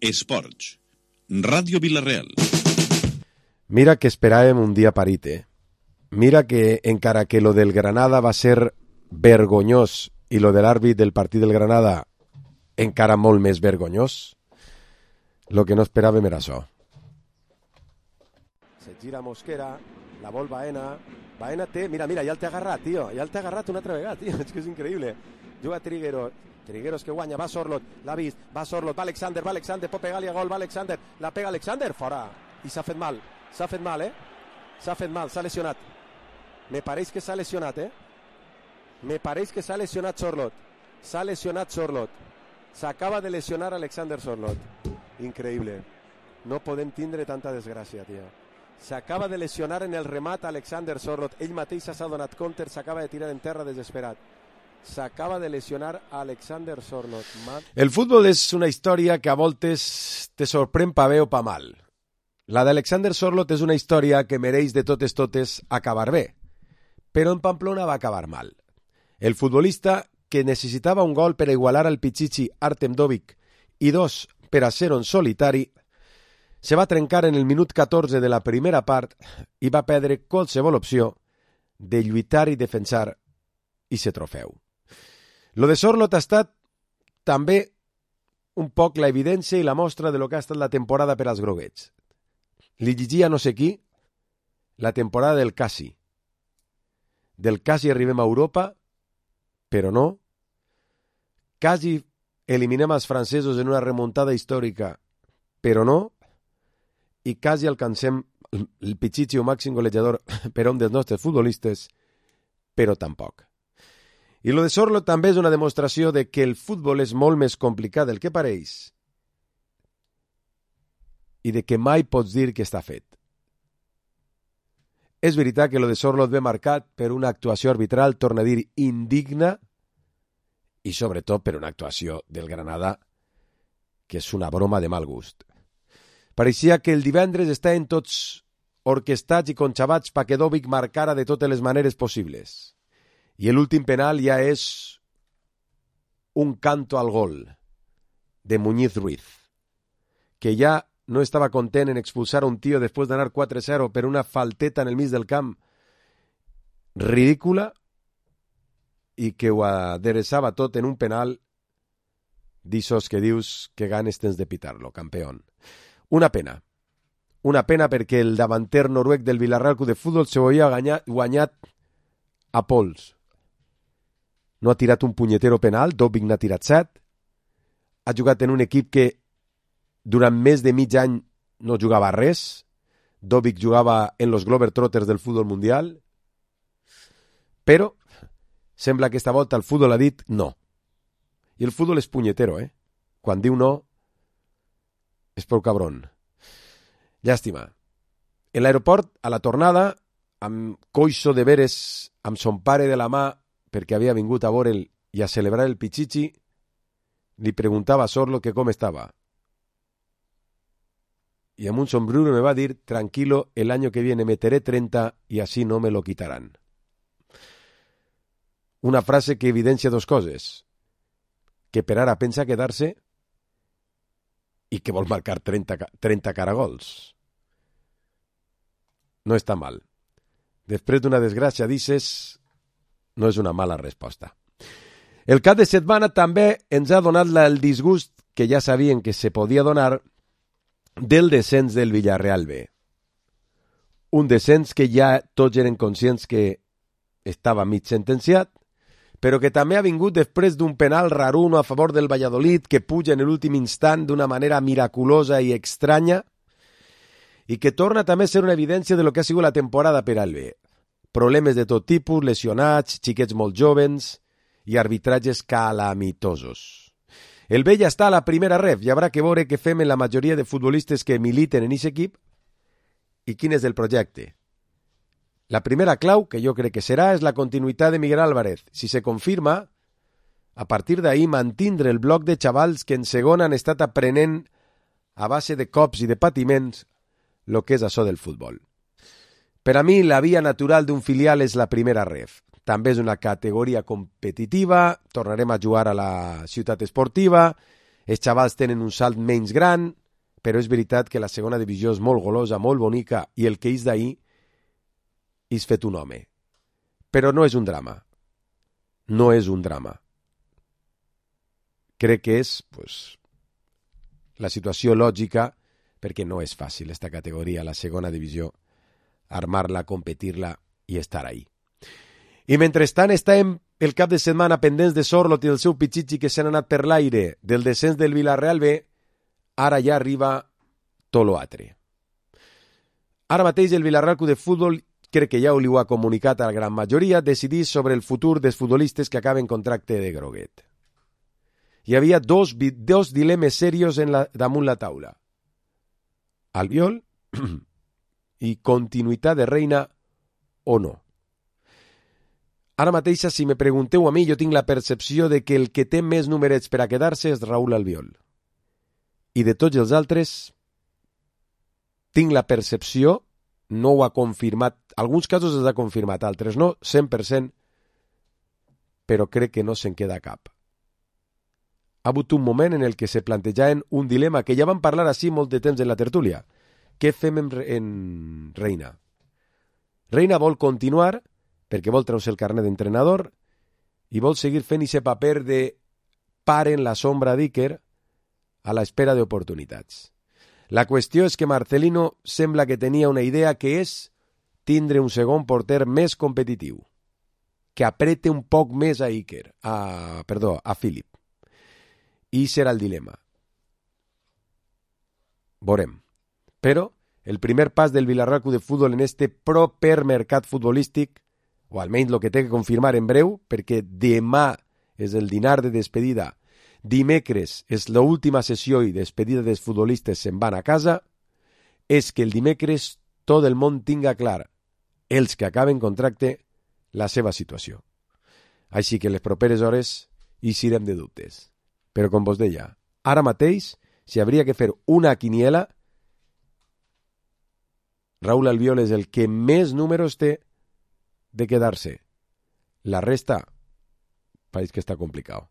Esports. Ràdio Vila-real. Mira que esperàvem un dia parit, Mira que, encara que lo del Granada va ser vergonyós i lo de l'àrbit del partit del Granada encara molt més vergonyós, lo que no esperàvem era això. Se gira Mosquera, la vol Baena té, mira, ja el té agarrat, tio, ja el té agarrat una altra vegada, tio, és que és increïble. Juga Trigueros que guanya, va Sorloth, l'ha vist, va Sorloth, va Alexander, pot pegar-li a gol, va Alexander, la pega Alexander, fora, i s'ha fet mal, s'ha lesionat. Me pareix que s'ha lesionat, Sorloth. S'ha lesionat Sorloth. S'acaba de lesionar Alexander Sorloth. Increïble. No podem tindre tanta desgràcia, tio. S'acaba de lesionar en el remat Alexander Sorloth. Ell mateix s'ha donat compte, s'acaba de tirar en terra desesperat. S'acaba de lesionar Alexander Sorloth. El futbol és una història que a voltes te sorprèn pa bé o pa mal. La d'Alexander Sorloth és una història que mereix de totes acabar bé. Però en Pamplona va acabar mal. El futbolista que necessitava un gol per a igualar al Pichichi Artem Dovik i 2 per a 0 en solitari, se va trencar en el minut 14 de la primera part i va perdre qualsevol opció de lluitar i defensar i ser trofeu. Lo de Sorloth ha estat també un poc la evidència i la mostra de lo que ha estat la temporada per als groguets. Li llegia no sé qui la temporada del Cassi. Del quasi arribem a Europa, però no. Quasi eliminem els francesos en una remuntada històrica, però no. I quasi alcancem el Pichichi o màxim golejador per a un dels nostres futbolistes, però tampoc. I lo de Sorloth també és una demostració de que el futbol és molt més complicat del que pareix i de que mai pots dir que està fet. És veritat que lo de Sorloth ve marcat per una actuació arbitral, torna a dir, indigna, i sobretot per una actuació del Granada que és una broma de mal gust. Pareixia que el divendres estaven tots orquestats i conxabats perquè Dovik marcara de totes les maneres possibles. I l'últim penal ja és un canto al gol de Muñiz Ruiz, que ja no estava content en expulsar a un tio després d'anar 4-0 per una falteta en el mig del camp ridícula i que ho adereçava tot en un penal d'ixos que dius que ganes tens de pitar-lo, campeón. Una pena perquè el davanter noruec del Villarreal Club de Futbol se ho havia guanyat a pols. No ha tirat un punyetero penal, Dovik n'ha tirat 7, ha jugat en un equip que durant més de mig any no jugava res. Dovik jugava en los Globetrotters del futbol mundial, però sembla que esta volta el futbol ha dit no. I el futbol és punyetero, Quan diu no, és prou cabron. Llàstima. En l'aeroport, a la tornada, amb coixo de veres amb son pare de la mà, perquè havia vingut a veure'l i a celebrar el Pichichi, li preguntava a Sorloth que com estava. Y amb un sombrero me va a dir, tranquilo, el año que viene meteré 30 y así no me lo quitarán. Una frase que evidencia dos coses. Que per ara pensa quedar-se i que vol marcar 30 caragols. No està mal. Després d'una desgràcia, dices, no és una mala resposta. El cap de setmana també ens ha donat el disgust que ja sabien que se podia donar del descens del Villarreal B. Un descens que ja tots eren conscients que estava mig sentenciat, però que també ha vingut després d'un penal raruno a favor del Valladolid que puja en l'últim instant d'una manera miraculosa i estranya i que torna també a ser una evidència de lo que ha sigut la temporada per al B. Problemes de tot tipus, lesionats, xiquets molt joves i arbitratges calamitosos. El B ja està a la primera ref i haurà que veure què fem en la majoria de futbolistes que militen en aquest equip i quin és el projecte. La primera clau, que jo crec que serà, és la continuïtat de Miguel Álvarez. Si se confirma, a partir d'ahir mantindre el bloc de xavals que en segon han estat aprenent a base de cops i de patiments el que és això del futbol. Per a mi, la via natural d'un filial és la primera ref. També és una categoria competitiva, tornarem a jugar a la ciutat esportiva, els xavals tenen un salt menys gran, però és veritat que la segona divisió és molt golosa, molt bonica, i el que és d'ahir és fet un home. Però no és un drama. No és un drama. Crec que és la situació lògica, perquè no és fàcil esta categoria, la segona divisió, armar-la, competir-la i estar ahí. I mentrestant estàvem el cap de setmana pendents de Sorlot i del seu pitxitxi que s'han anat per l'aire del descens del Villarreal B, ara ja arriba tot l'altre. Ara mateix el Villarreal Club de Futbol, crec que ja li ho ha comunicat a la gran majoria, decidís sobre el futur dels futbolistes que acaben contracte de groguet. Hi havia dos dilemes serios damunt la taula. Albiol i continuïtat de Reina o no. Ara mateix, si me pregunteu a mi, jo tinc la percepció de que el que té més numerets per a quedar-se és Raúl Albiol. I de tots els altres, tinc la percepció, no ho ha confirmat, alguns casos els ha confirmat, altres no, 100%, però crec que no se'n queda cap. Ha hagut un moment en el que se plantejaven un dilema que ja vam parlar així molt de temps en la tertúlia. Què fem en Reina? Reina vol continuar perquè vol treure el carnet d'entrenador i vol seguir fent aquest paper de pare en la sombra d'Iker a l'espera d'oportunitats. La qüestió és que Marcelino sembla que tenia una idea que és tindre un segon porter més competitiu, que aprete un poc més a Iker, a Philip. I serà el dilema. Veurem. Però el primer pas del Villarreal Club de Futbol en este proper mercat futbolístic, o almenys el que té que confirmar en breu, perquè demà és el dinar de despedida, dimecres és l'última sessió i despedida dels futbolistes se'n van a casa, és que el dimecres tot el món tinga clar, els que acaben contracte, la seva situació. Així que les properes hores eixirem de dubtes. Però com vos deia, ara mateix, si hauria que fer una quiniela, Raúl Albiol és el que més números té de quedar-se. La resta, pareix que està complicat.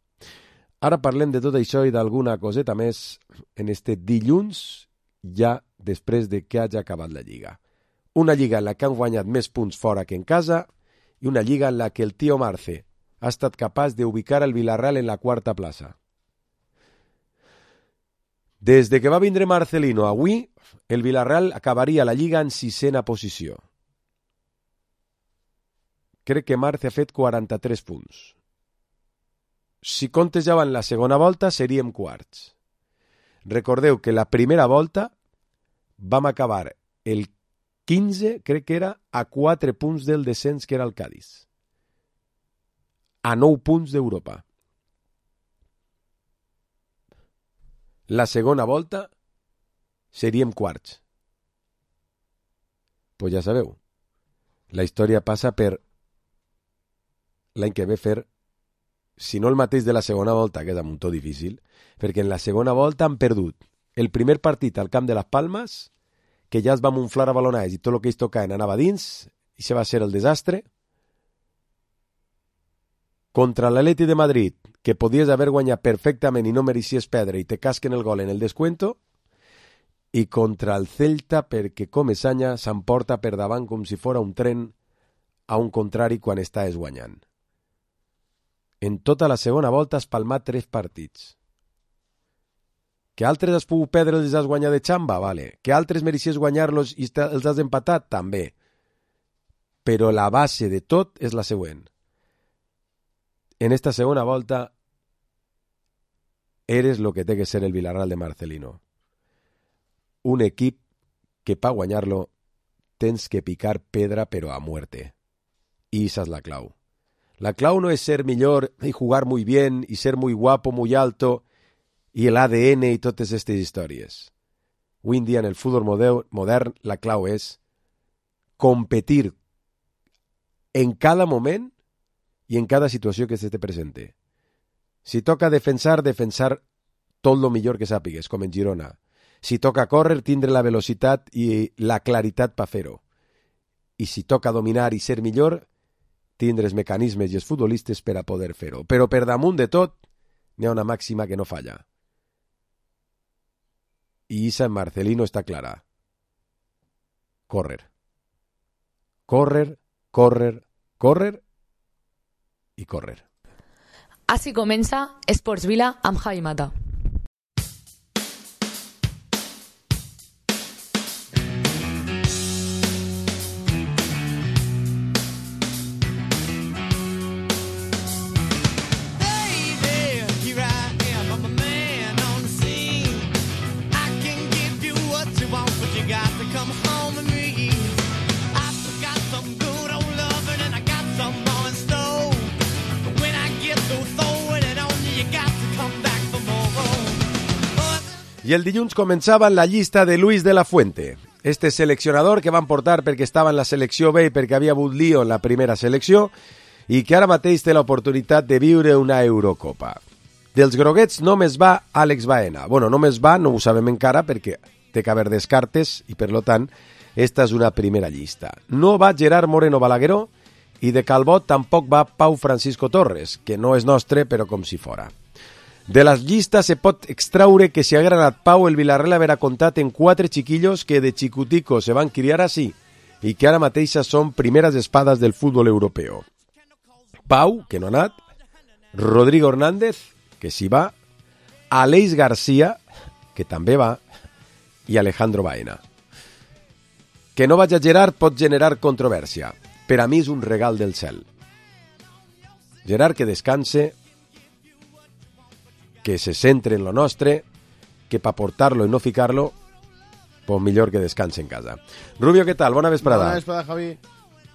Ara parlem de tot això i d'alguna coseta més en este dilluns, ja després de que hagi acabat la Lliga. Una Lliga en la que han guanyat més punts fora que en casa i una Lliga en la que el tio Marce ha estat capaç d'ubicar el Villarreal en la quarta plaça. Des de que va vindre Marcelino avui, el Villarreal acabaria la Lliga en 6ª posició. Crec que Marce ha fet 43 punts. Si comptejàvem la segona volta, seríem quarts. Recordeu que la primera volta vam acabar el 15, crec que era, a 4 punts del descens, que era el Cádiz. A 9 punts d'Europa. La segona volta seríem quarts. Pues ja sabeu, la història passa per l'any que ve fer, si no el mateix de la segona volta, que és un tot difícil, perquè en la segona volta han perdut el primer partit al camp de les Palmes, que ja es va munflar a balonades i tot el que ells tocaven anava dins, i això va ser el desastre, contra l'Atleti de Madrid, que podies haver guanyat perfectament i no mereixies perdre i te casquen el gol en el descuento, i contra el Celta perquè Comesaña s'emporta per davant com si fora un tren a un contrari quan estàs guanyant. En tota la segona volta has palmat 3 partits. Que altres has pogut perdre els has guanyat de xamba? Vale. Que altres mereixies guanyar-los i els has empatat? També. Però la base de tot és la següent. En esta segona volta eres lo que té que ser el Villarreal de Marcelino. Un equip que per guanyar-lo tens que picar pedra però a muerte. I esa es la clau. La clau no es ser millor y jugar muy bien y ser muy guapo, muy alto y el ADN y totes estas històries. Avui en dia en el futbol modern la clau és competir en cada moment i en cada situació que se te presente. Si toca defensar tot lo millor que sàpigues, com en Girona. Si toca córrer, tindre la velocitat i la claritat per fer-ho. I si toca dominar i ser millor, tindre els mecanismes i els futbolistes per a poder fer-ho. Però per damunt de tot, n'hi ha una màxima que no falla. y Isa en Marcelino está clara. Córrer. Córrer, córrer, córrer i córrer. Així comença Esports Vila amb Javi Mata. I el dilluns començava la llista de Luis de la Fuente, este seleccionador que van portar perquè estava en la selecció B i perquè havia hagut lío en la primera selecció i que ara mateix té l'oportunitat de viure una Eurocopa. Dels groguets només va Àlex Baena. Bueno, només va, no ho sabem encara perquè té que haver descartes i per lo tant esta és una primera llista. No va Gerard Moreno Balagueró i de Calbot tampoc va Pau Francisco Torres, que no és nostre però com si fora. De la llista se pot extraure que si haguera anat Pau, el Villarreal haurà comptat en 4 chiquillos que de xicutico se van criar així i que ara mateixa són primeres espades del futbol europeu. Pau, que no ha anat, Rodrigo Hernández, que sí va, Aleix García, que també va, i Alejandro Baena. Que no vagi a Gerard pot generar controvèrsia. Per a mi és un regal del cel. Gerard que descanse, que se centre en lo nostre, que pa portar-lo i no ficar-lo, pues millor que descanse en casa. Rubio, què tal? Bona vesprada. Bona vesprada, Javi.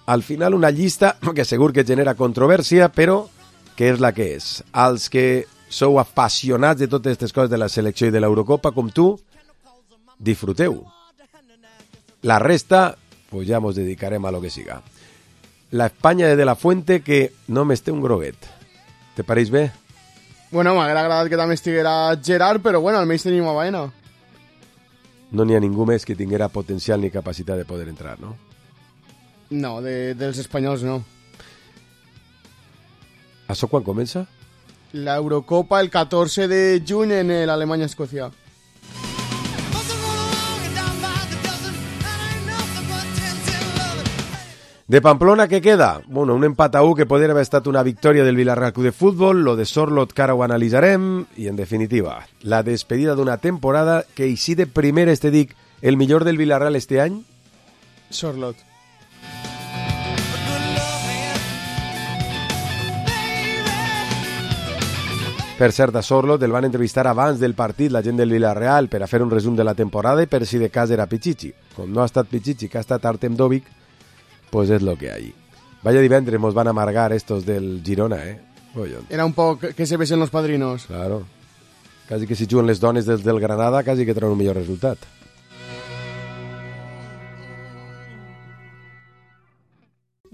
Al final una llista que segur que genera controvèrsia, però que és la que és. Els que sou apassionats de totes aquestes coses de la selecció i de l'Eurocopa, com tu, disfruteu. La resta, pues ja mos dedicarem a lo que siga. La Espanya de la Fuente que només té un groguet. Te pareix bé? Bueno, m'haguera agradat que també estiguera Gerard, però bueno, almenys tenim a Baena. No n'hi ha ningú més que tinguera potencial ni capacitat de poder entrar, no? No, dels espanyols no. Això quan comença? L'Eurocopa el 14 de juny en l'Alemanya-Escòcia. De Pamplona, què queda? Bueno, un empat a 1 que podria haver estat una victòria del Villarreal Club de Futbol, lo de Sorloth que ara ho analitzarem, i en definitiva, la despedida d'una temporada que així de primeres te dic, el millor del Villarreal este any? Sorloth. Per cert, a Sorloth el van entrevistar abans del partit la gent del Villarreal per a fer un resum de la temporada i per si de cas era Pichichi. Com no ha estat Pichichi, que ha estat Artem Dovich, pues es lo que hay. Vaya divendres nos van a amargar estos del Girona, Oye. Era un poc que se besen los padrinos. Claro. Casi que si juguen les dones del Granada, casi que traen un millor resultat.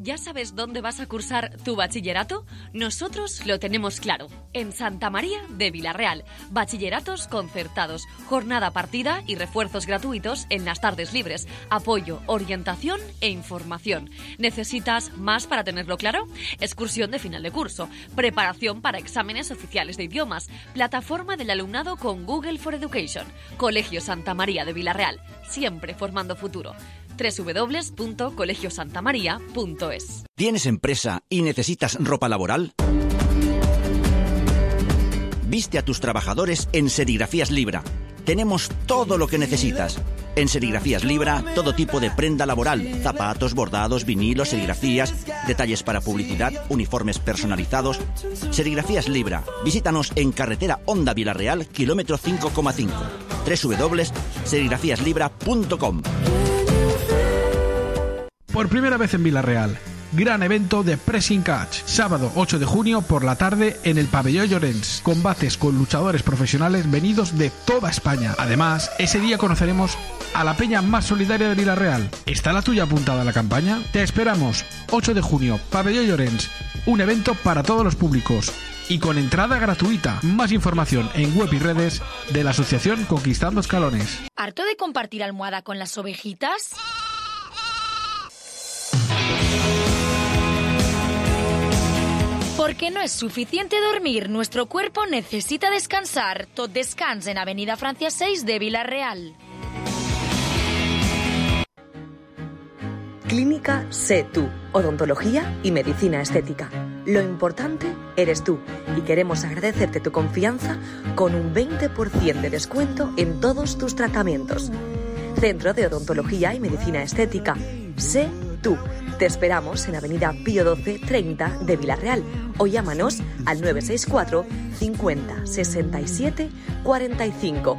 ¿Ya sabes dónde vas a cursar tu bachillerato? Nosotros lo tenemos claro. En Santa María de Villarreal. Bachilleratos concertados, jornada partida y refuerzos gratuitos en las tardes libres. Apoyo, orientación e información. ¿Necesitas más para tenerlo claro? Excursión de final de curso. Preparación para exámenes oficiales de idiomas. Plataforma del alumnado con Google for Education. Colegio Santa María de Villarreal. Siempre formando futuro. www.colegiosantamaria.es. ¿Tienes empresa y necesitas ropa laboral? Viste a tus trabajadores en Serigrafías Libra. Tenemos todo lo que necesitas. En Serigrafías Libra, todo tipo de prenda laboral, zapatos, bordados, vinilos, serigrafías, detalles para publicidad, uniformes personalizados. Serigrafías Libra. Visítanos en carretera Honda Villarreal, kilómetro 5,5. www.serigrafíaslibra.com. Por primera vez en Villarreal, gran evento de Pressing Catch, sábado 8 de junio por la tarde en el Pabellón Llorens, combates con luchadores profesionales venidos de toda España. Además, ese día conoceremos a la peña más solidaria de Villarreal. ¿Está la tuya apuntada a la campaña? Te esperamos, 8 de junio, Pabellón Llorens, un evento para todos los públicos y con entrada gratuita. Más información en web y redes de la asociación Conquistando Escalones. ¿Harto de compartir almohada con las ovejitas? Porque no es suficiente dormir, nuestro cuerpo necesita descansar. Tot Descans en Avenida Francia 6 de Vila-real. Clínica Sé Tú, odontología y medicina estética. Lo importante eres tú y queremos agradecerte tu confianza con un 20% de descuento en todos tus tratamientos. Centro de Odontología y Medicina Estética. Sé Tú. Te esperamos en Avenida Pío 12 30 de Vila-real o llámanos al 964 50 67 45.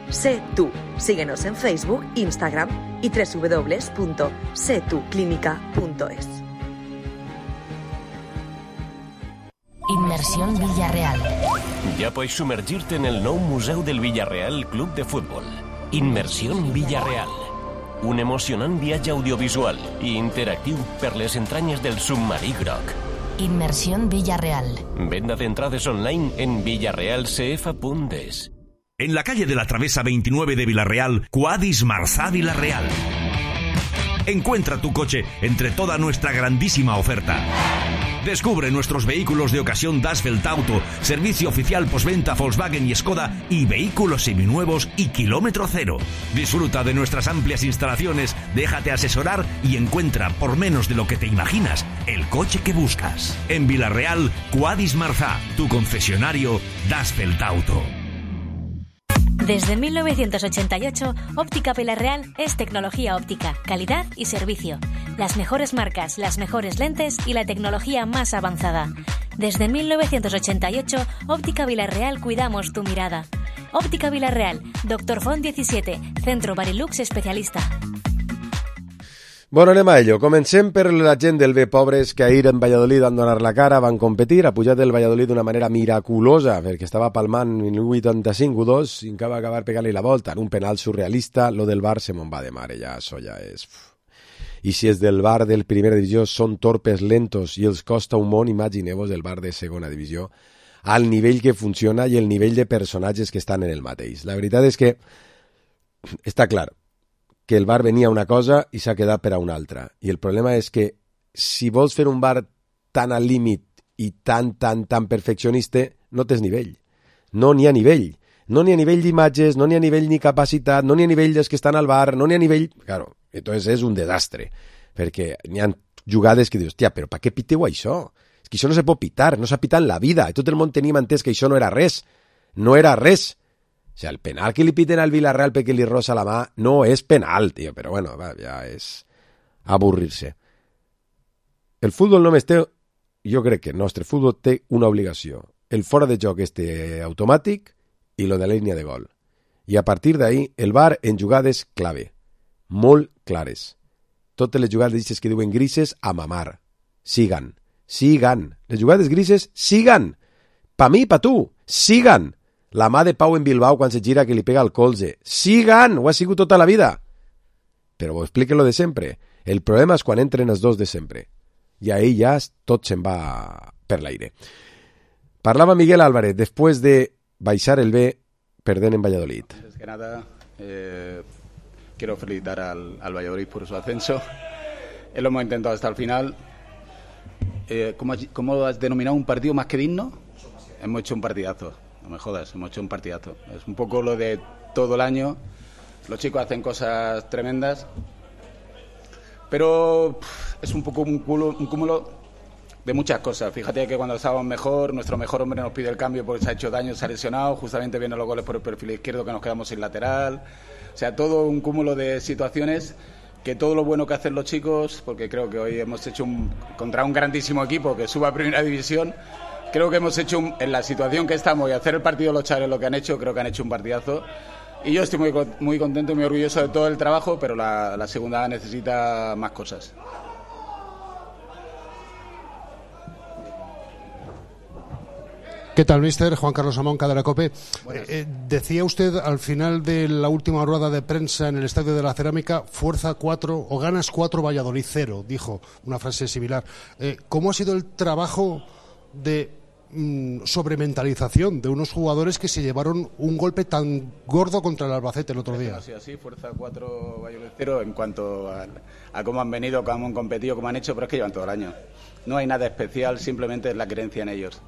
Sé Tú. Síguenos en Facebook, Instagram y www.setuclínica.es. Inmersión Villarreal. Ja pots submergir-te en el nou Museu del Villarreal Club de Futbol. Inmersión Villarreal. Un emocionant viatge audiovisual i interactiu per les entranyes del submarí groc. Inmersión Villarreal. Venda de entrades online en villarrealcf.es. En la calle de la Travesa 29 de Vila-real, Quadis Marzà Vila-real. Encuentra tu coche entre toda nuestra grandísima oferta. Descubre nuestros vehículos de ocasión Dasfeld Auto, servicio oficial postventa Volkswagen y Skoda y vehículos seminuevos y kilómetro cero. Disfruta de nuestras amplias instalaciones, déjate asesorar y encuentra, por menos de lo que te imaginas, el coche que buscas. En Vila-real, Quadis Marzà, tu concesionario Dasfeld Auto. Desde 1988, Óptica Vila-real es tecnología óptica, calidad y servicio. Las mejores marcas, las mejores lentes y la tecnología más avanzada. Desde 1988, Óptica Vila-real cuidamos tu mirada. Óptica Vila-real, Dr. Font 17, Centro Barilux especialista. Bueno, anem a ello. Comencem per la gent del bé pobres que ahir en Valladolid van donar la cara, van competir, ha pujat el Valladolid d'una manera miraculosa, perquè estava palmant en 85-2 i va acabar pegant-li la volta en un penal surrealista. Lo del Bar se me'n va de mare, ja, això ja és... I si és del Bar del primera divisió són torpes, lentos i els costa un món, imagineu-vos el Bar de segona divisió, al nivell que funciona i el nivell de personatges que estan en el mateix. La veritat és que està clar que el bar venia una cosa i s'ha quedat per a una altra. I el problema és que si vols fer un bar tan al límit i tan perfeccionista, no tens nivell. No n'hi ha nivell. No n'hi ha nivell d'imatges, no n'hi ha nivell ni capacitat, no n'hi ha nivell dels que estan al bar, no n'hi ha nivell... Claro, entonces és un desastre. Perquè n'hi ha jugades que dius, hòstia, però per què piteu això? És que això no se pot pitar, no s'ha pitat en la vida. I tot el món tenim entès que això no era res. No era res. O sea, el penal que li piten al Villarreal perquè li rosa la mà no és penal, tio, però bueno, va, ja és avorrir-se. El futbol només té, jo crec que el nostre futbol té una obligació. El fora de joc este automàtic i lo de la línia de gol. I a partir d'ahí, el VAR en jugades clave, molt clares. Totes les jugades que diuen grises, a mamar. Sigan. Les jugades grises, sigan. Pa mi, pa tu, sigan. La mà de Pau en Bilbao quan se gira que li pega al colze. Sigan! Ho ha sigut tota la vida. Però ho explique lo de sempre. El problema és quan entren els dos de sempre. I ahí ja tot se'n va per l'aire. Parlava Miguel Álvarez després de baixar el B perdent en Valladolid. Antes que nada, quiero felicitar al Valladolid por su ascenso. Lo hemos intentado hasta el final. ¿Cómo has denominado un partido más que digno? Hemos hecho un partidazo. No me jodas, hemos hecho un partidazo. Es un poco lo de todo el año. Los chicos hacen cosas tremendas, pero es un poco un cúmulo de muchas cosas. Fíjate que cuando estábamos mejor, nuestro mejor hombre nos pide el cambio porque se ha hecho daño, se ha lesionado, justamente vienen los goles por el perfil izquierdo que nos quedamos sin lateral. O sea, todo un cúmulo de situaciones que todo lo bueno que hacen los chicos, porque creo que hoy hemos hecho contra un grandísimo equipo que suba a primera división. Creo que hemos hecho, en la situación que estamos y hacer el partido los chavales lo que han hecho, creo que han hecho un partidazo. Y yo estoy muy contento y muy orgulloso de todo el trabajo, pero la segunda necesita más cosas. ¿Qué tal, mister? Juan Carlos Amón, Cadena COPE. Decía usted al final de la última rueda de prensa en el Estadio de la Cerámica, fuerza 4 o ganas 4, Valladolid 0, dijo una frase similar. ¿Cómo ha sido el trabajo de sobrementalización de unos jugadores que se llevaron un golpe tan gordo contra el Albacete el otro día. Así, fuerza 4, Valladolid 0 en cuanto a cómo han venido, cómo han competido, cómo han hecho, pero es que llevan todo el año. No hay nada especial, simplemente es la creencia en ellos.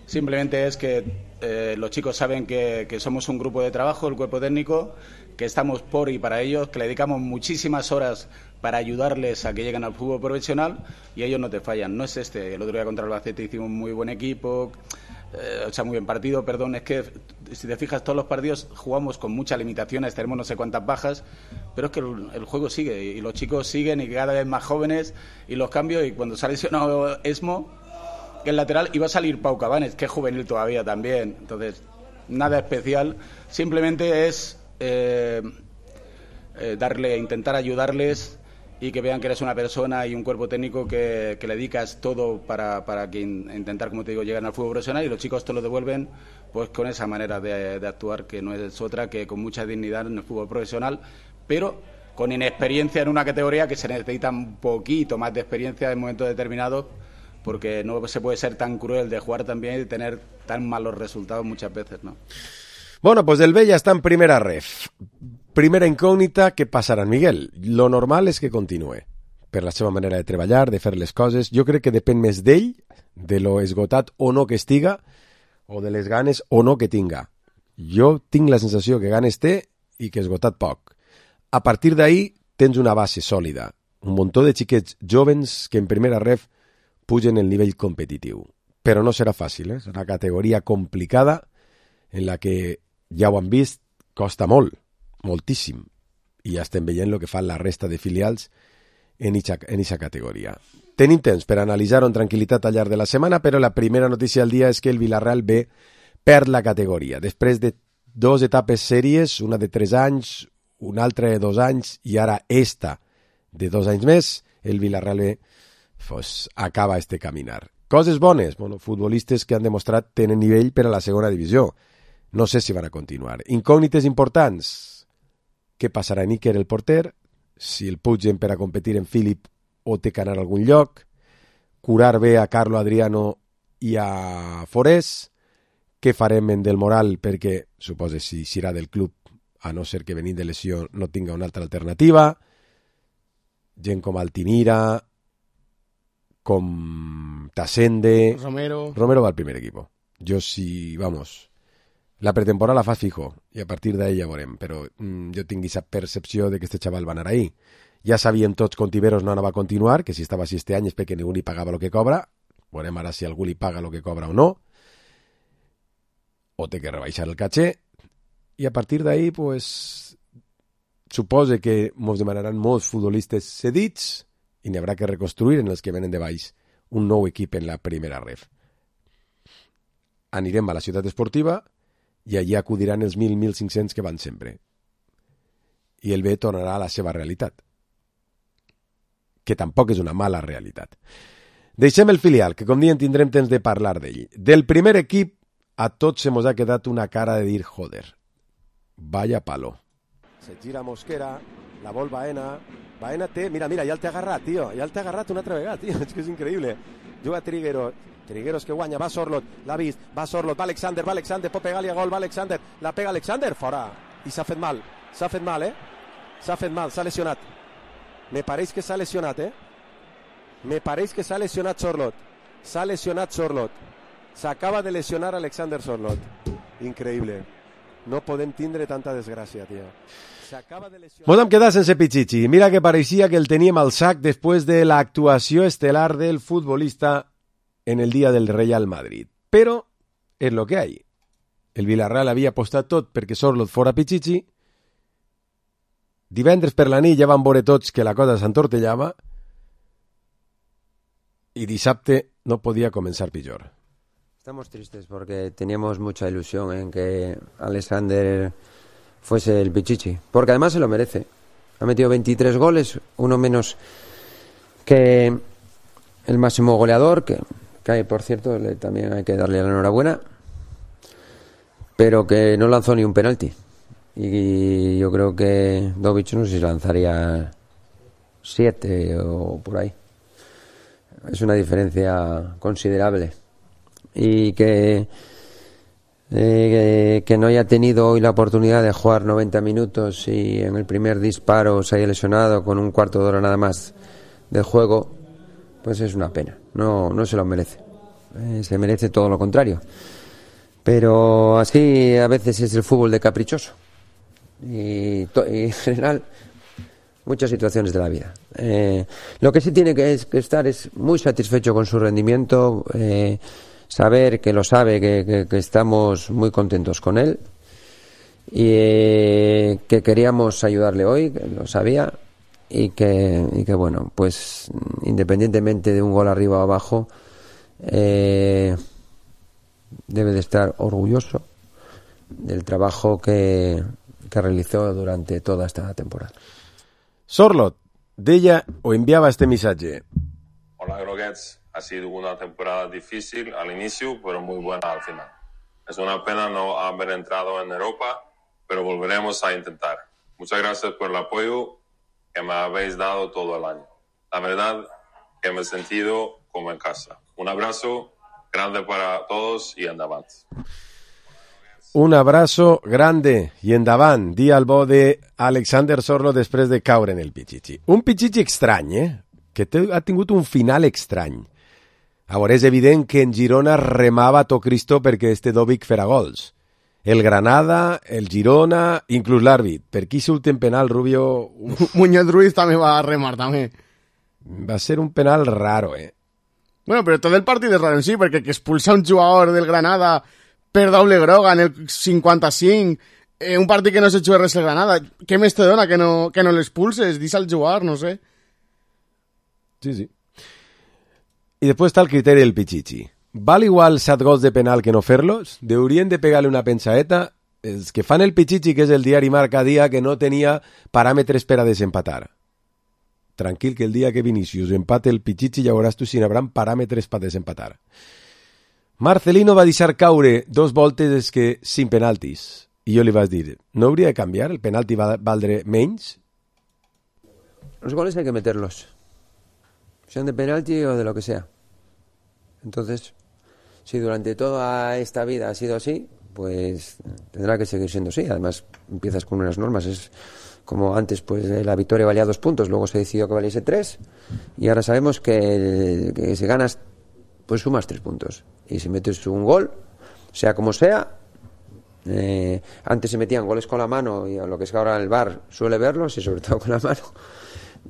Simplemente es que los chicos saben que somos un grupo de trabajo, el cuerpo técnico, que estamos por y para ellos, que le dedicamos muchísimas horas para ayudarles a que lleguen al fútbol profesional y ellos no te fallan. No es el otro día contra el Albacete hicimos un muy buen equipo, muy buen partido, perdón, es que si te fijas todos los partidos jugamos con muchas limitaciones, tenemos no sé cuántas bajas, pero es que el juego sigue y los chicos siguen y cada vez más jóvenes y los cambios, y cuando se ha lesionado Esmo, que es lateral, iba a salir Pau Cabanes, que es juvenil todavía también, entonces nada especial, simplemente es intentar ayudarles y que vean que eres una persona y un cuerpo técnico que le dedicas todo para que intentar, como te digo, llegar al fútbol profesional, y los chicos te lo devuelven pues con esa manera de actuar, que no es otra que con mucha dignidad en el fútbol profesional, pero con inexperiencia en una categoría que se necesita un poquito más de experiencia en momentos determinados, porque no se puede ser tan cruel de jugar tan bien y tener tan malos resultados muchas veces, ¿no? Bueno, pues el Vella està en primera ref. Primera incògnita, què passarà en Miguel? Lo normal és que continuï, per la seva manera de treballar, de fer les coses. Jo crec que depèn més d'ell, de lo esgotat o no que estiga, o de les ganes o no que tinga. Jo tinc la sensació que ganes té i que esgotat poc. A partir d'ahí tens una base sòlida, un muntó de xiquets jovens que en primera ref pugen el nivell competitiu. Però no serà fàcil, és una categoria complicada en la que, ja ho han vist, costa molt, moltíssim, i ja estem veient el que fan la resta de filials en eixa categoria. Tenim temps per analitzar-ho en tranquil·litat al llarg de la setmana, però la primera notícia del dia és que el Villarreal B perd la categoria. Després de 2 etapes sèries, una de 3 anys, una altra de 2 anys, i ara esta de 2 anys més, el Villarreal B acaba este caminar. Coses bones, futbolistes que han demostrat tenen nivell per a la segona divisió. No sé si van a continuar. Incògnites importants. Què passarà en Iker, el porter? Si el pugen per a competir en Philip o té que anar a algun lloc. Curar bé a Carlo Adriano i a Forés. Què farem en Del Moral? Perquè, suposo, si serà del club, a no ser que venint de lesió no tinga una altra alternativa. Gent com Altimira, com Tasende. Romero va al primer equipo. Jo sí, vamos... La pretemporada la fa fijo, i a partir d'ahí ja veurem, però jo tinc aquesta percepció de que este xaval va anar ahí. Ja sabien tots que Ontiveros no anava a continuar, que si estava així este any és perquè ningú li pagava el que cobra, veurem ara si algú li paga el que cobra o no, o té que rebaixar el caché, i a partir d'ahí, pues, supose que ens demanaran molts futbolistes cedits i n'hi haurà que reconstruir en els que venen de baix un nou equip en la primera ref. Anirem a la ciutat esportiva i allí acudiran els 1.000-1.500 que van sempre. I el B tornarà a la seva realitat, que tampoc és una mala realitat. Deixem el filial, que com diem tindrem temps de parlar d'ell. Del primer equip a tots se mos ha quedat una cara de dir joder, vaya palo. Se gira Mosquera, la vol Baena té, mira, ja el té agarrat, tio, ja el té agarrat una altra vegada, tio, és que és increïble. Juga Trigueros que guanya, va Sorloth, l'ha vist, va Sorloth, va Alexander, pot pegar-li a gol, va Alexander, la pega Alexander, fora, i s'ha fet mal, s'ha lesionat. Me pareix que s'ha lesionat, Sorloth, s'acaba de lesionar Alexander Sorloth, increïble, no podem tindre tanta desgràcia, tio. Mos hem quedat sense Pichichi, mira que pareixia que el teníem al sac després de l'actuació estel·lar del futbolista en el dia del Real Madrid. Però és lo que hay. El Villarreal havia apostat tot perquè Sorloth fora Pichichi. Divendres per la nit ja van veure tots que la cosa s'entortellava y dissabte no podía comenzar peor. Estamos tristes porque teníamos mucha ilusión en que Alexander fuese el Pichichi, porque además se lo merece. Ha metido 23 goles, uno menos que el máximo goleador, que por cierto también hay que darle la enhorabuena, pero que no lanzó ni un penalti. Y yo creo que Dovic no sé si lanzaría 7 o por ahí. Es una diferencia considerable. y que no haya tenido hoy la oportunidad de jugar 90 minutos y en el primer disparo se haya lesionado con un cuarto de hora nada más de juego, pues es una pena. No se lo merece. Se merece todo lo contrario. Pero así a veces es el fútbol de caprichoso. Y en general, muchas situaciones de la vida. Lo que sí tiene que estar es muy satisfecho con su rendimiento, saber que lo sabe, que estamos muy contentos con él y que queríamos ayudarle hoy, que lo sabía, y que bueno, pues independientemente de un gol arriba o abajo, debe de estar orgulloso del trabajo que realizó durante toda esta temporada. Sorloth deia o enviava este missatge. Hola Groguets, ha sido una temporada difícil al inicio, pero muy buena al final. Es una pena no haber entrado en Europa, pero volveremos a intentar. Muchas gracias por el apoyo que me habéis dado todo el año. La verdad que me he sentido como en casa. Un abrazo grande para todos y endavant. Un abrazo grande i endavant, dia el bo de Alexander Sorloth després de caure en el Pichichi. Un Pichichi estrany, que ha tingut un final estrany. A veure, és evident que en Girona remava a to Cristo perquè este Dovic fera gols. El Granada, el Girona, inclús l'àrbit. Per qui surt en penal, Rubio? Muñoz Ruiz també va remar, també. Va ser un penal raro, Bueno, però tot el partit és raro en sí, perquè que expulsa un jugador del Granada per doble groga en el 55, un partit que no s'ha jugat res el Granada. Què més te dona que no l'expulses? Deixa'l jugar, no sé. Sí. I després està el criteri del Pichichi. Val igual 7 gols de penal que no fer-los? Deurien de pegar-li una pensaeta? Els que fan el Pichichi, que és el diari Marca, dia que no tenia paràmetres per a desempatar. Tranquil, que el dia que Vinícius empate el Pichichi ja veuràs tu si n'hi haurà paràmetres per desempatar. Marcelino va deixar caure 2 voltes que sin penaltis. I jo li vaig dir, ¿no hauria de canviar? ¿El penalti va valdre menys? Los goles hay que meterlos. Sean de penalti o de lo que sea. Entonces, si durante toda esta vida ha sido así, pues tendrá que seguir siendo así. Además, empiezas con unas normas. Es como antes, pues la victoria valía 2 puntos, luego se decidió que valiese 3, y ahora sabemos que si ganas, pues sumas 3 puntos. Y si metes un gol, sea como sea, antes se metían goles con la mano, y a lo que es ahora el VAR suele verlos, y sobre todo con la mano,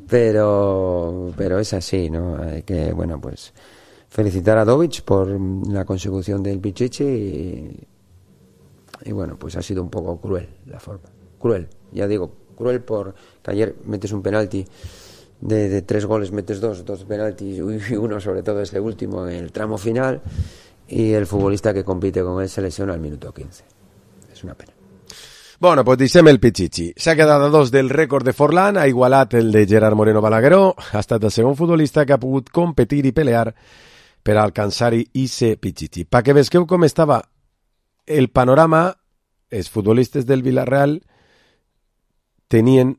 pero es así, ¿no? Hay que, bueno, pues felicitar a Dovic por la consecución del Pichichi, y bueno, pues ha sido un poco cruel la forma. Cruel, ya digo, cruel porque ayer metes un penalti de 3 goles, metes 2 penaltis, y uno sobre todo ese último en el tramo final, y el futbolista que compite con él se lesiona al minuto 15. Es una pena. Bueno, pues deixem el Pichichi. S'ha quedat a 2 del rècord de Forlán, ha igualat el de Gerard Moreno Balagueró, ha estat el segon futbolista que ha pogut competir i pelear per alcançar-hi ese Pichichi. Pa que vesqueu com estava el panorama, els futbolistes del Villarreal tenien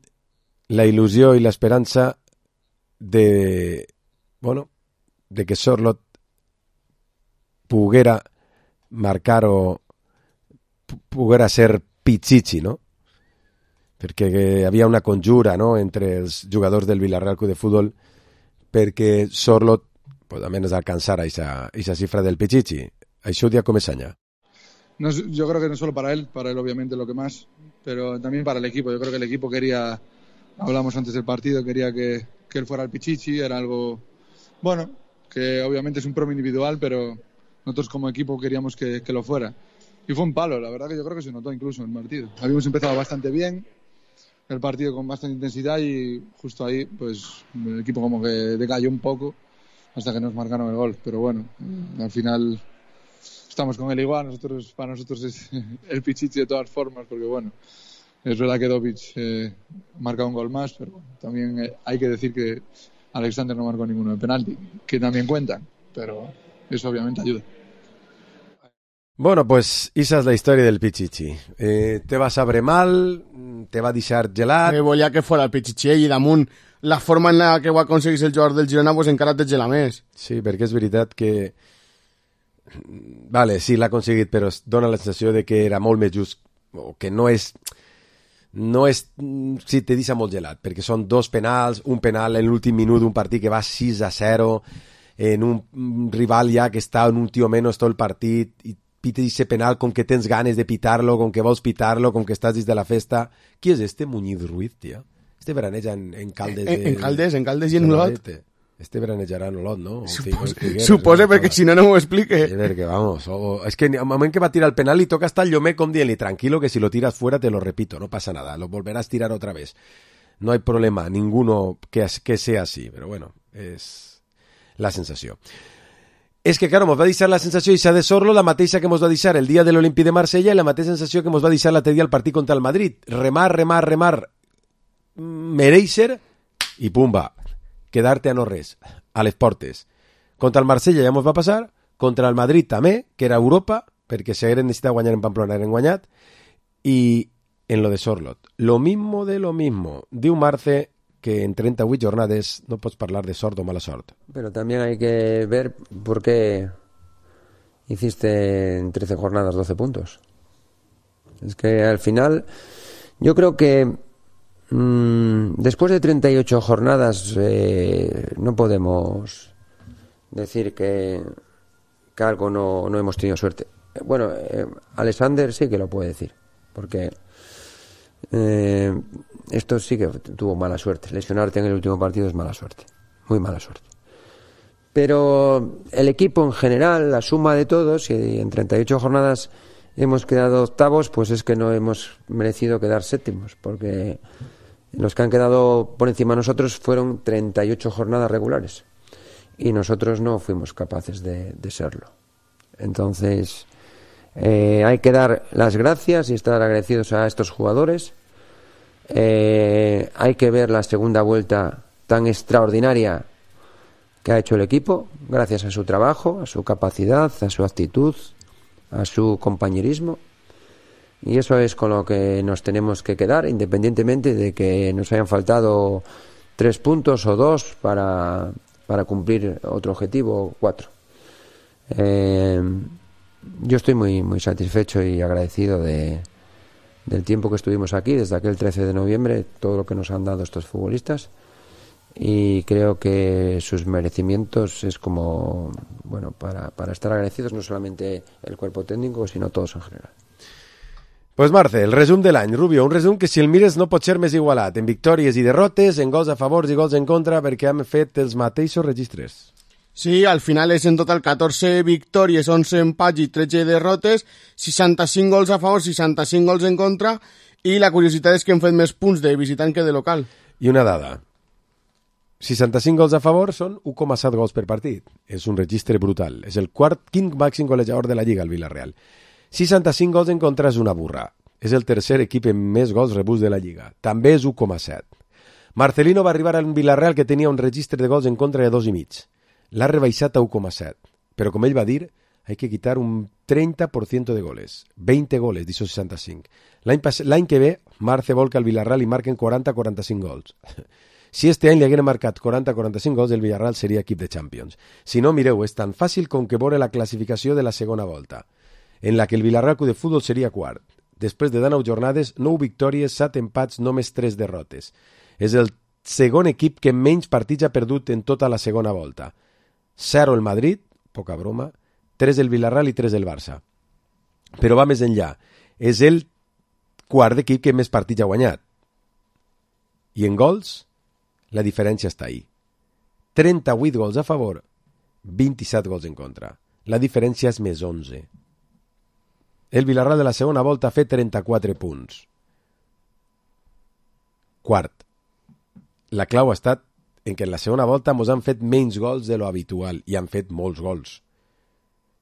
la il·lusió i l'esperança de que Sorloth poguera marcar o poguera ser Pichichi, no? Perquè hi havia una conjura, no?, entre els jugadors del Villarreal Club de Fútbol perquè Sorloth pues, almenys alcançara esa cifra del Pichichi. Això dia com Esaña. No, yo creo que no solo para él obviamente lo que más, pero también para el equipo. Yo creo que el equipo quería, hablamos antes del partido, quería que él fuera el Pichichi, era algo, bueno, que obviamente es un premio individual, pero nosotros como equipo queríamos que lo fuera. Y fue un palo, la verdad que yo creo que se notó incluso en el partido. Habíamos empezado bastante bien, el partido con bastante intensidad, y justo ahí pues el equipo como que decayó un poco hasta que nos marcaron el gol. Pero bueno, al final estamos con él igual, para nosotros es el Pichichi de todas formas, porque bueno, es verdad que Dovic marca un gol más, pero bueno, también hay que decir que Alexander no marcó ninguno de penalti, que también cuentan, pero eso obviamente ayuda. Bueno, pues esa es la historia del Pichichi. Te va saber mal, te va deixar gelat. Volia que fora el Pichichi i damunt la forma en la que ho aconseguís el jugador del Girona pues encara te gela més. Sí, perquè és veritat que Vale, sí, l'ha aconseguit, però dona la sensació de que era molt més just, o que no és, sí, te deixa molt gelat, perquè són 2 penals, un penal en l'últim minut d'un partit que va 6-0, en un rival ja que està en un tio menos tot el partit, i pite ese penal com que tens ganes de pitar-lo, com que vols pitar-lo, com que estàs dins de la festa. Qui és este Muñiz Ruiz, tia? Este veraneja en Caldes. En Caldes i en Olot. Este veranejarà en Olot, no? Suposa, perquè si no, no m'ho explique. Perquè, vamos, és que al moment que va tirar el penal li toca estar al llomer com dient-li, tranquilo, que si lo tiras fuera te lo repito, no pasa nada, lo volverás a tirar otra vez. No hay problema, ninguno que sea así, però bueno, és la sensació. És que, claro, mos va deixar la sensació Issa de Sorlo, la mateixa que mos va deixar el dia de l'Olímpic de Marsella i la mateixa sensació que mos va deixar l'altre dia el partit contra el Madrid. Remar, mereixer i pumba, quedar-te a no res, a les portes. Contra el Marsella ja mos va passar, contra el Madrid també, que era Europa, perquè si hagueren necessitat guanyar en Pamplona hagueren guanyat, i en lo de Sorlot. Lo mismo de lo mismo. Diu Marce que en 38 jornades no pots parlar de sort o mala sort. Pero también hay que ver por qué hiciste en 13 jornadas 12 puntos. Es que al final yo creo que después de 38 jornadas no podemos decir que algo no hemos tenido suerte. Bueno, Alexander sí que lo puede decir, porque esto sí que tuvo mala suerte. Lesionarte en el último partido es mala suerte, muy mala suerte. Pero el equipo en general, la suma de todos, y en 38 jornadas hemos quedado octavos, pues es que no hemos merecido quedar séptimos, porque los que han quedado por encima de nosotros fueron 38 jornadas regulares y nosotros no fuimos capaces de serlo. Entonces hay que dar las gracias y estar agradecidos a estos jugadores. Hay que ver la segunda vuelta tan extraordinaria que ha hecho el equipo, gracias a su trabajo, a su capacidad, a su actitud, a su compañerismo. Y eso es con lo que nos tenemos que quedar, independientemente de que nos hayan faltado 3 puntos o 2 para cumplir otro objetivo, 4. Yo estoy muy satisfecho y agradecido del tiempo que estuvimos aquí, desde aquel 13 de noviembre, todo lo que nos han dado estos futbolistas, y creo que sus merecimientos es como, bueno, para estar agradecidos, no solamente el cuerpo técnico, sino todos en general. Pues Marce, el resum de l'any. Rubio, un resum que si el mires no pot ser més igualat, en victòries i derrotes, en gols a favor i gols en contra, perquè hem fet els mateixos registres. Sí, al final és en total 14 victòries, 11 empats i 13 derrotes, 65 gols a favor, 65 gols en contra, i la curiositat és que hem fet més punts de visitant que de local. I una dada, 65 gols a favor són 1,7 gols per partit. És un registre brutal. És el quint màxim golejador de la Lliga, el Villarreal. 65 gols en contra és una burra. És el tercer equip amb més gols rebuts de la Lliga. També és 1,7. Marcelino va arribar al Villarreal que tenia un registre de gols en contra de 2,5. L'ha rebaixat a 1,7. Però com ell va dir, hay que quitar un 30% de goles. 20 goles, d'això 65. L'any que ve, Marce vol que al Villarreal li marquen 40-45 gols. Si este any li hagueren marcat 40-45 gols, el Villarreal seria equip de Champions. Si no, mireu, és tan fàcil com que veure la classificació de la segona volta, en la que el Villarreal Club de Futbol seria quart. Després de 19 jornades, 9 victòries, 7 empats, només 3 derrotes. És el segon equip que menys partits ha perdut en tota la segona volta. 0 el Madrid, poca broma, 3 el Villarreal i 3 el Barça. Però va més enllà. És el quart equip que més partits ha guanyat. I en gols, la diferència està ahí. 38 gols a favor, 27 gols en contra. La diferència és més 11. El Villarreal de la segona volta ha fet 34 punts. Quart. La clau ha estat en que en la segona volta ens han fet menys gols de lo habitual i han fet molts gols.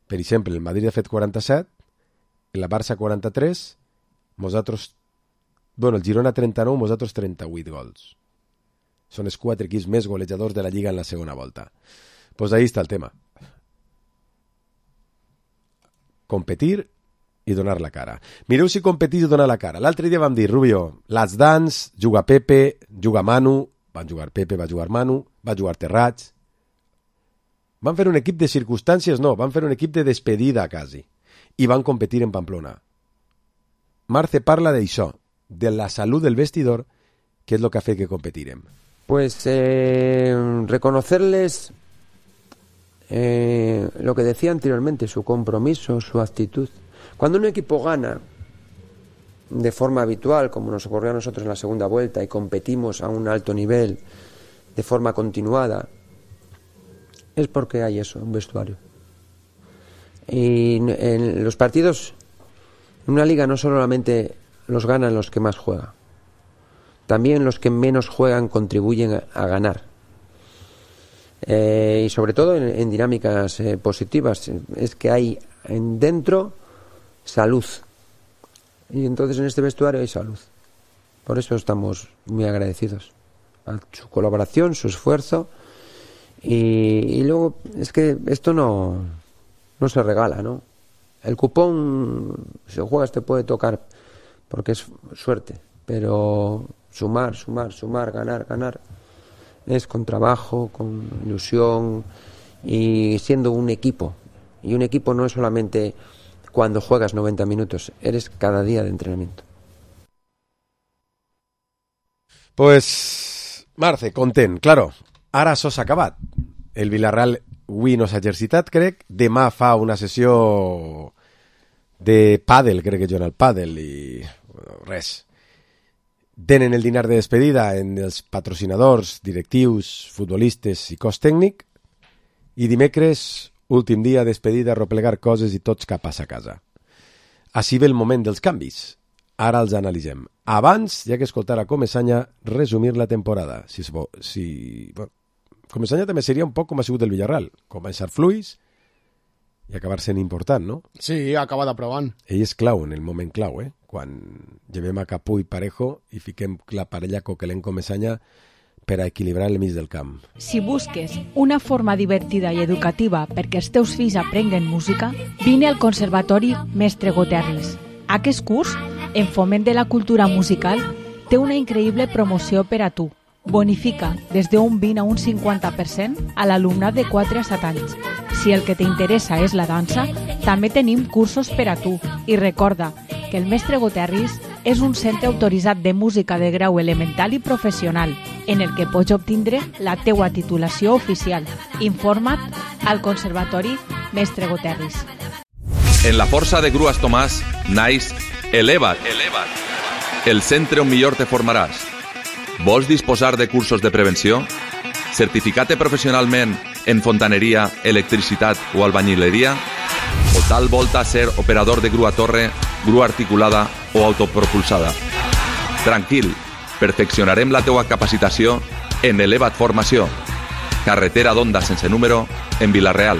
Per exemple, el Madrid ha fet 47, el Barça 43, el Girona 39, nosaltres 38 gols. Són els 4 equips més golejadors de la Lliga en la segona volta. Pues ahí està el tema. Competir i donar la cara. Mireu si competir i donar la cara. L'altre dia vam dir, Rubio, Let's Dance, juga Pepe, juga Manu, van jugar Pepe, va jugar Manu, va jugar Terrats, Van fer un equip de circumstàncies, no, van fer un equip de despedida quasi. I van competir en Pamplona. Marce parla d'això, de la salut del vestidor, que és el que ha fet que competirem. Pues reconocerles lo que decía anteriormente, su compromiso, su actitud. Cuando un equipo gana de forma habitual, como nos ocurrió a nosotros en la segunda vuelta, y competimos a un alto nivel de forma continuada, es porque hay eso, un vestuario. Y en los partidos, en una liga no solamente los ganan los que más juegan, también los que menos juegan contribuyen a ganar. Y sobre todo en dinámicas positivas, es que hay dentro salud. Y entonces en este vestuario hay salud. Por eso estamos muy agradecidos a su colaboración, su esfuerzo. Y luego es que esto no se regala, ¿no? El cupón, si juegas, te puede tocar porque es suerte, pero sumar, ganar, es con trabajo, con ilusión y siendo un equipo. Y un equipo no es solamente cuando juegas 90 minutos, eres cada día de entrenamiento. Pues, Marce, content, claro, ara això s'ha acabat. El Villarreal avui no s'ha exercitat, crec. Demà fa una sessió de pàdel, crec que juguen al pàdel i res. Tenen el dinar de despedida en els patrocinadors, directius, futbolistes i cos tècnic. I dimecres, últim dia, despedida, replegar coses i tots cap a sa casa. Així ve el moment dels canvis. Ara els analitzem. Abans, ja que escoltar a Comesaña, resumir la temporada. Bueno, Comesaña també seria un poc com ha sigut el Villarreal. Començar fluix i acabar sent important, no? Sí, acabar d'aprovant. Ell és clau en el moment clau, quan llevem a Capú i Parejo i fiquem la parella Coquelin-Comesaña per a equilibrar el mig del camp. Si busques una forma divertida i educativa perquè els teus fills aprenguen música, vine al Conservatori Mestre Goterris. Aquest curs, en foment de la cultura musical, té una increïble promoció per a tu. Bonifica des d'un 20 a un 50% a l'alumnat de 4 a 7 anys. Si el que t'interessa és la dansa, també tenim cursos per a tu. I recorda que el Mestre Goterris és un centre autoritzat de música de grau elemental i professional, en el que pots obtindre la teua titulació oficial. Informa't al Conservatori Mestre Goterris. En la força de Grues Tomàs naix Eleva't, el centre on millor te formaràs. Vols disposar de cursos de prevenció? Certificat professionalment en fontaneria, electricitat o albañileria? O tal volta ser operador de grua torre, grua articulada o autopropulsada? Tranquil, perfeccionarem la teua capacitació en Eleva't Formació. Carretera d'Onda sense número, en Vilareal.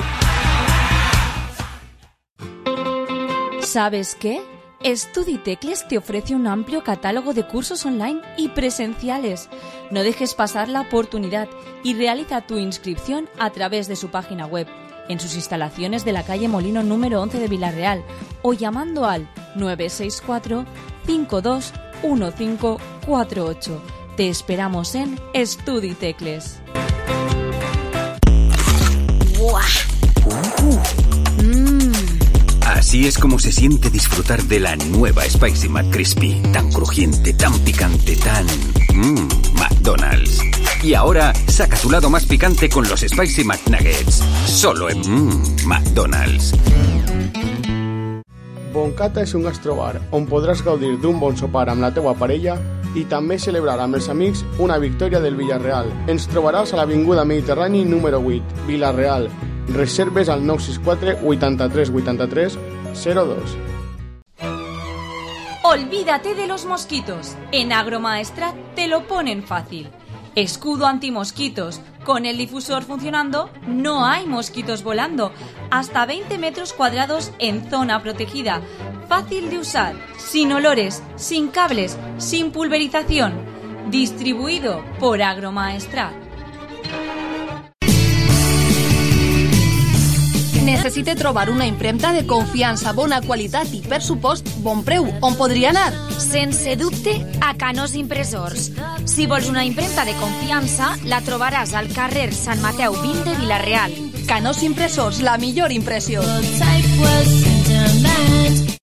¿Sabes qué? Estuditecles te ofrece un amplio catálogo de cursos online y presenciales. No dejes pasar la oportunidad y realiza tu inscripción a través de su página web, en sus instalaciones de la calle Molino número 11 de Vilareal o llamando al 964 521548. Te esperamos en Estuditecles. Así es como se siente disfrutar de la nueva Spicy McCrispy. Tan crujiente, tan picante, tan... McDonald's. Y ahora, saca tu lado más picante con los Spicy McNuggets. Solo en McDonald's. Boncata és un gastrobar on podràs gaudir d'un bon sopar amb la teua parella i també celebrar amb els amics una victòria del Villarreal. Ens trobaràs a l'Avinguda Mediterrani número 8, Vilareal. Reserves al 964 83 83 02. Olvídate de los mosquitos. En Agromaestrat te lo ponen fácil. Escudo antimosquitos. Con el difusor funcionando, no hay mosquitos volando. Hasta 20 metros cuadrados en zona protegida. Fácil de usar, sin olores, sin cables, sin pulverización. Distribuido por Agromaestrat. Necessite trobar una impremta de confiança, bona qualitat i, per supost, bon preu. On podria anar? Sense dubte, a Canós Impressors. Si vols una impremta de confiança, la trobaràs al carrer Sant Mateu 20 de Vilareal. Canós Impresors, la millor impressió.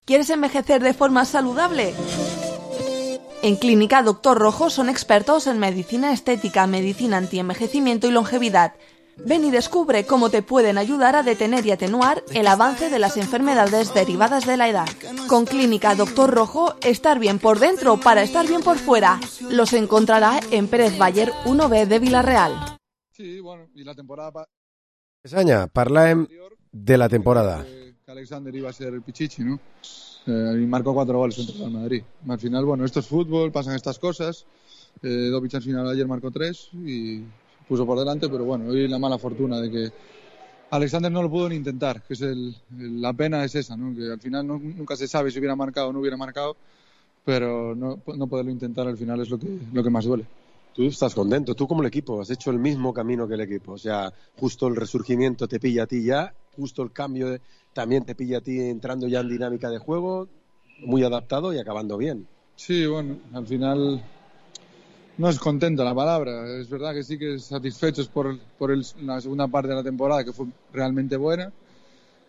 ¿Quieres envejecer de forma saludable? En Clínica Dr. Rojo son expertos en medicina estética, medicina antienvejecimiento y longevidad. Ven y descubre cómo te pueden ayudar a detener y atenuar el avance de las enfermedades derivadas de la edad. Con Clínica Dr. Rojo, estar bien por dentro para estar bien por fuera. Los encontrará en Pérez Baller 1B de Vila-real. Sí, bueno, y la temporada... Mesaña, parlem de la temporada. Que Alexander iba a ser el Pichichi, ¿no? Y marcó 4 goles contra el Real Madrid. Al final, bueno, esto es fútbol, pasan estas cosas. Dovic al final ayer marcó 3 y puso por delante, pero bueno, hoy la mala fortuna de que Alexander no lo pudo ni intentar, que es la pena es esa, ¿no? Que al final nunca se sabe si hubiera marcado o no hubiera marcado, pero no poderlo intentar al final es lo que más duele. Tú estás contento, tú como el equipo has hecho el mismo camino que el equipo, o sea, justo el resurgimiento te pilla a ti ya, justo el cambio también te pilla a ti entrando ya en dinámica de juego, muy adaptado y acabando bien. Sí, bueno, al final no es contento la palabra, es verdad que sí que satisfechos por la segunda parte de la temporada que fue realmente buena,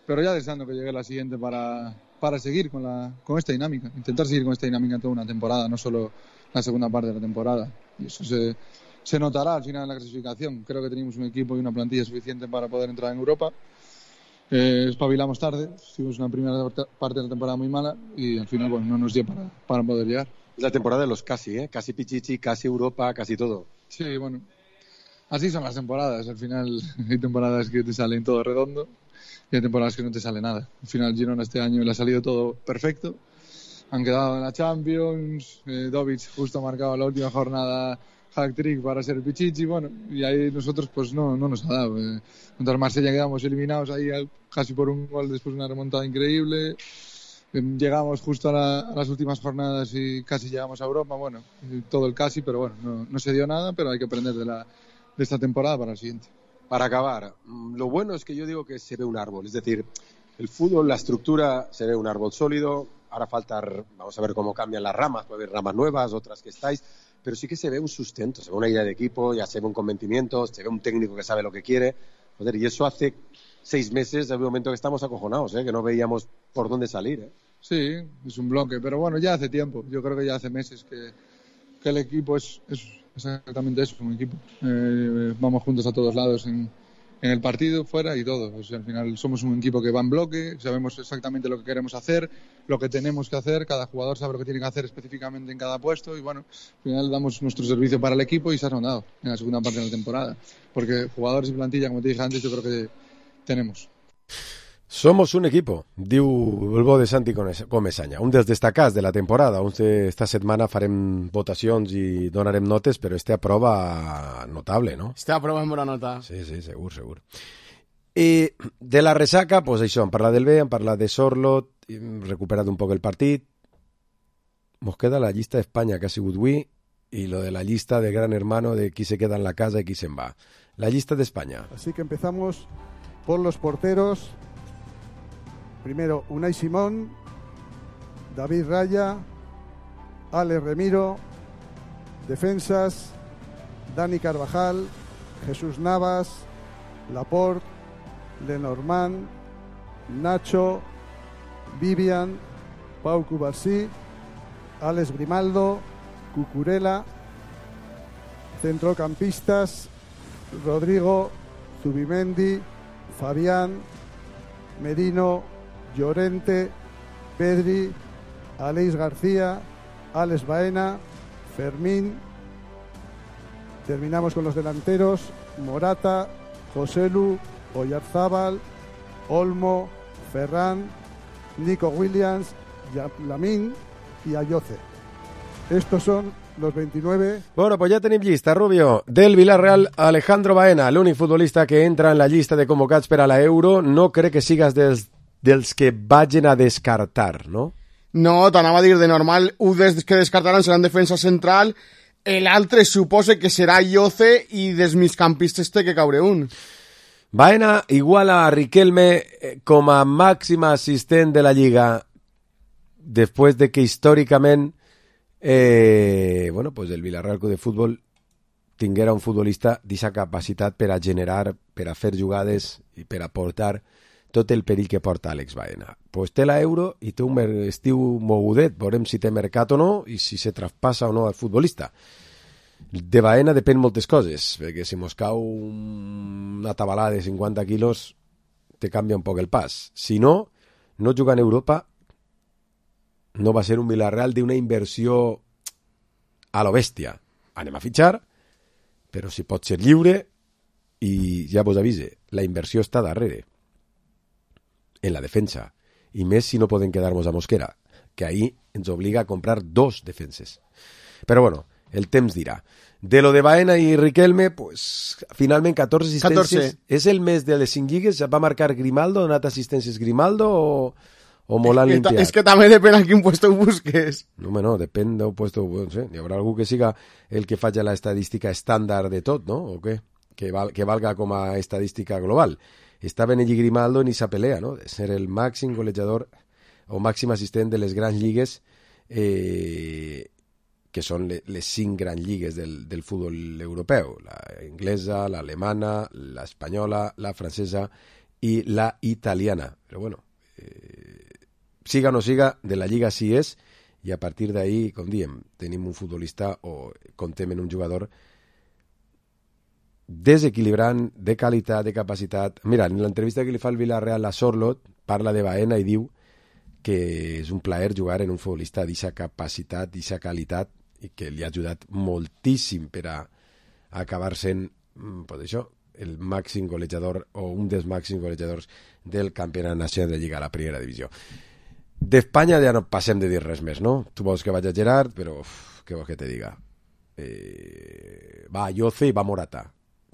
pero ya deseando que llegue la siguiente para seguir con esta dinámica, intentar seguir con esta dinámica toda una temporada, no solo la segunda parte de la temporada. Y eso se notará al final en la clasificación. Creo que tenemos un equipo y una plantilla suficiente para poder entrar en Europa. Espabilamos tarde, tuvimos una primera parte de la temporada muy mala y al final bueno, no nos dio para poder llegar. Es la temporada de los casi, casi Pichichi, casi Europa, casi todo. Sí, bueno, así son las temporadas. Al final hay temporadas que te salen todo redondo y hay temporadas que no te sale nada. Al final Girona este año le ha salido todo perfecto. Han quedado en la Champions, Dovic justo ha marcado la última jornada hat-trick para ser el Pichichi, bueno, y ahí nosotros pues no nos ha dado. Contra el Marsella quedamos eliminados ahí casi por un gol después de una remontada increíble. Llegamos justo a las últimas jornadas y casi llegamos a Europa, bueno, todo el casi, pero bueno, no se dio nada, pero hay que aprender de esta temporada para el siguiente. Para acabar, lo bueno es que yo digo que se ve un árbol, es decir, el fútbol, la estructura, se ve un árbol sólido. Ahora vamos a ver cómo cambian las ramas, puede haber ramas nuevas, otras que estáis, pero sí que se ve un sustento, se ve una idea de equipo, ya se ve un convencimiento, se ve un técnico que sabe lo que quiere. Joder, y eso hace 6 meses, de un momento que estamos acojonados, que no veíamos por dónde salir. Sí, es un bloque, pero bueno, ya hace tiempo, yo creo que ya hace meses que el equipo es exactamente eso, un equipo. Vamos juntos a todos lados en el partido, fuera y todo. O sea, al final somos un equipo que va en bloque, sabemos exactamente lo que queremos hacer, lo que tenemos que hacer, cada jugador sabe lo que tiene que hacer específicamente en cada puesto y bueno, al final damos nuestro servicio para el equipo y se ha notado en la segunda parte de la temporada. Porque jugadores y plantilla, como te dije antes, yo creo que tenemos. Somos un equipo, diu el bo de Santi Comesaña. Un dels destacats de la temporada. Esta setmana farem votacions i donarem notes, però esta prova notable, no? Esta prova és bona nota. Sí, segur. I de la ressaca, pues això, hem parlat del B, hem parlat de Sorlot, hem recuperat un poc el partit. Nos queda la llista d'Espanya, que ha sigut avui, i lo de la llista de Gran Hermano de qui se queda en la casa i qui se'n va. La llista d'Espanya. Así que empezamos por los porteros. Primero Unai Simón, David Raya, Alex Remiro. Defensas, Dani Carvajal, Jesús Navas, Laporte, Lenormand, Nacho, Vivian, Pau Cubarsí, Alex Grimaldo, Cucurella. Centrocampistas, Rodrigo, Zubimendi, Fabián, Merino, Llorente, Pedri, Aleix García, Alex Baena, Fermín. Terminamos con los delanteros: Morata, Joselu, Oyarzábal, Olmo, Ferran, Nico Williams, Lamine y Ayoce. Estos son los 29. Bueno, pues ja tenim llista, Rubio. Del Villarreal, Alejandro Baena, l'únic futbolista que entra en la llista de convocats per a la Euro. No crec que sigues dels que vagin a descartar, no? No, t'anava a dir, de normal, un dels que descartaran serà en defensa central, l'altre suposa que serà Ayoce i dels migcampistes té que caure un. Baena iguala a Riquelme com a màxim assistent de la Lliga després de que històricament bueno, pues el Villarreal Club de Fútbol tinguera un futbolista d'aquesta capacitat per a generar, per a fer jugades i per a portar tot el perill que porta Àlex Baena. Pues té l'Euro i té un estiu mogudet, veurem si té mercat o no i si se traspassa o no al futbolista. De Baena depèn moltes coses, perquè si mos cau una tabalada de 50 quilos te canvia un poc el pas. Si no, no jugar en Europa no va ser un Villarreal d'una inversió a lo bèstia. Anem a fitxar, però si pot ser lliure, i ja vos avise, la inversió està darrere, en la defensa, i més si no poden quedar-nos a Mosquera, que ahí ens obliga a comprar 2 defenses. Però bueno, el temps dirà. De lo de Baena i Riquelme, pues, finalment 14 assistències. 14. És el mes de les 5 lligues? Va marcar Grimaldo? Ha donat assistències Grimaldo o molt l'han limpiat? És que també depèn a quin puesto ho busques. No, no, depèn del puesto. No sé, hi haurà algú que siga el que faci la estadística estàndard de tot, no? O què? Que valga com a estadística global. Estava en Grimaldo en esa pelea, no? De ser el màxim golejador o màxim assistent de les grans lligues, que són les 5 grans lligues del futbol europeu. La inglesa, l'alemana, l'espanyola, la francesa i la italiana. Però bueno, siga o no siga, de la lliga sí és, i a partir d'ahí, com diem, tenim un futbolista o contem en un jugador desequilibrant, de qualitat, de capacitat. Mira, en l'entrevista que li fa el Villarreal a Sorloth, parla de Baena i diu que és un plaer jugar en un futbolista d'aquesta capacitat, d'aquesta qualitat, i que li ha ajudat moltíssim per a acabar sent, pues això, el màxim golejador o un dels màxims golejadors del campionat nacional de Lliga a la primera divisió. D'Espanya ja no passem de dir res més, no? Tu vols que vaig a Gerard, però què vols que te diga? Va Yoce i va Morata,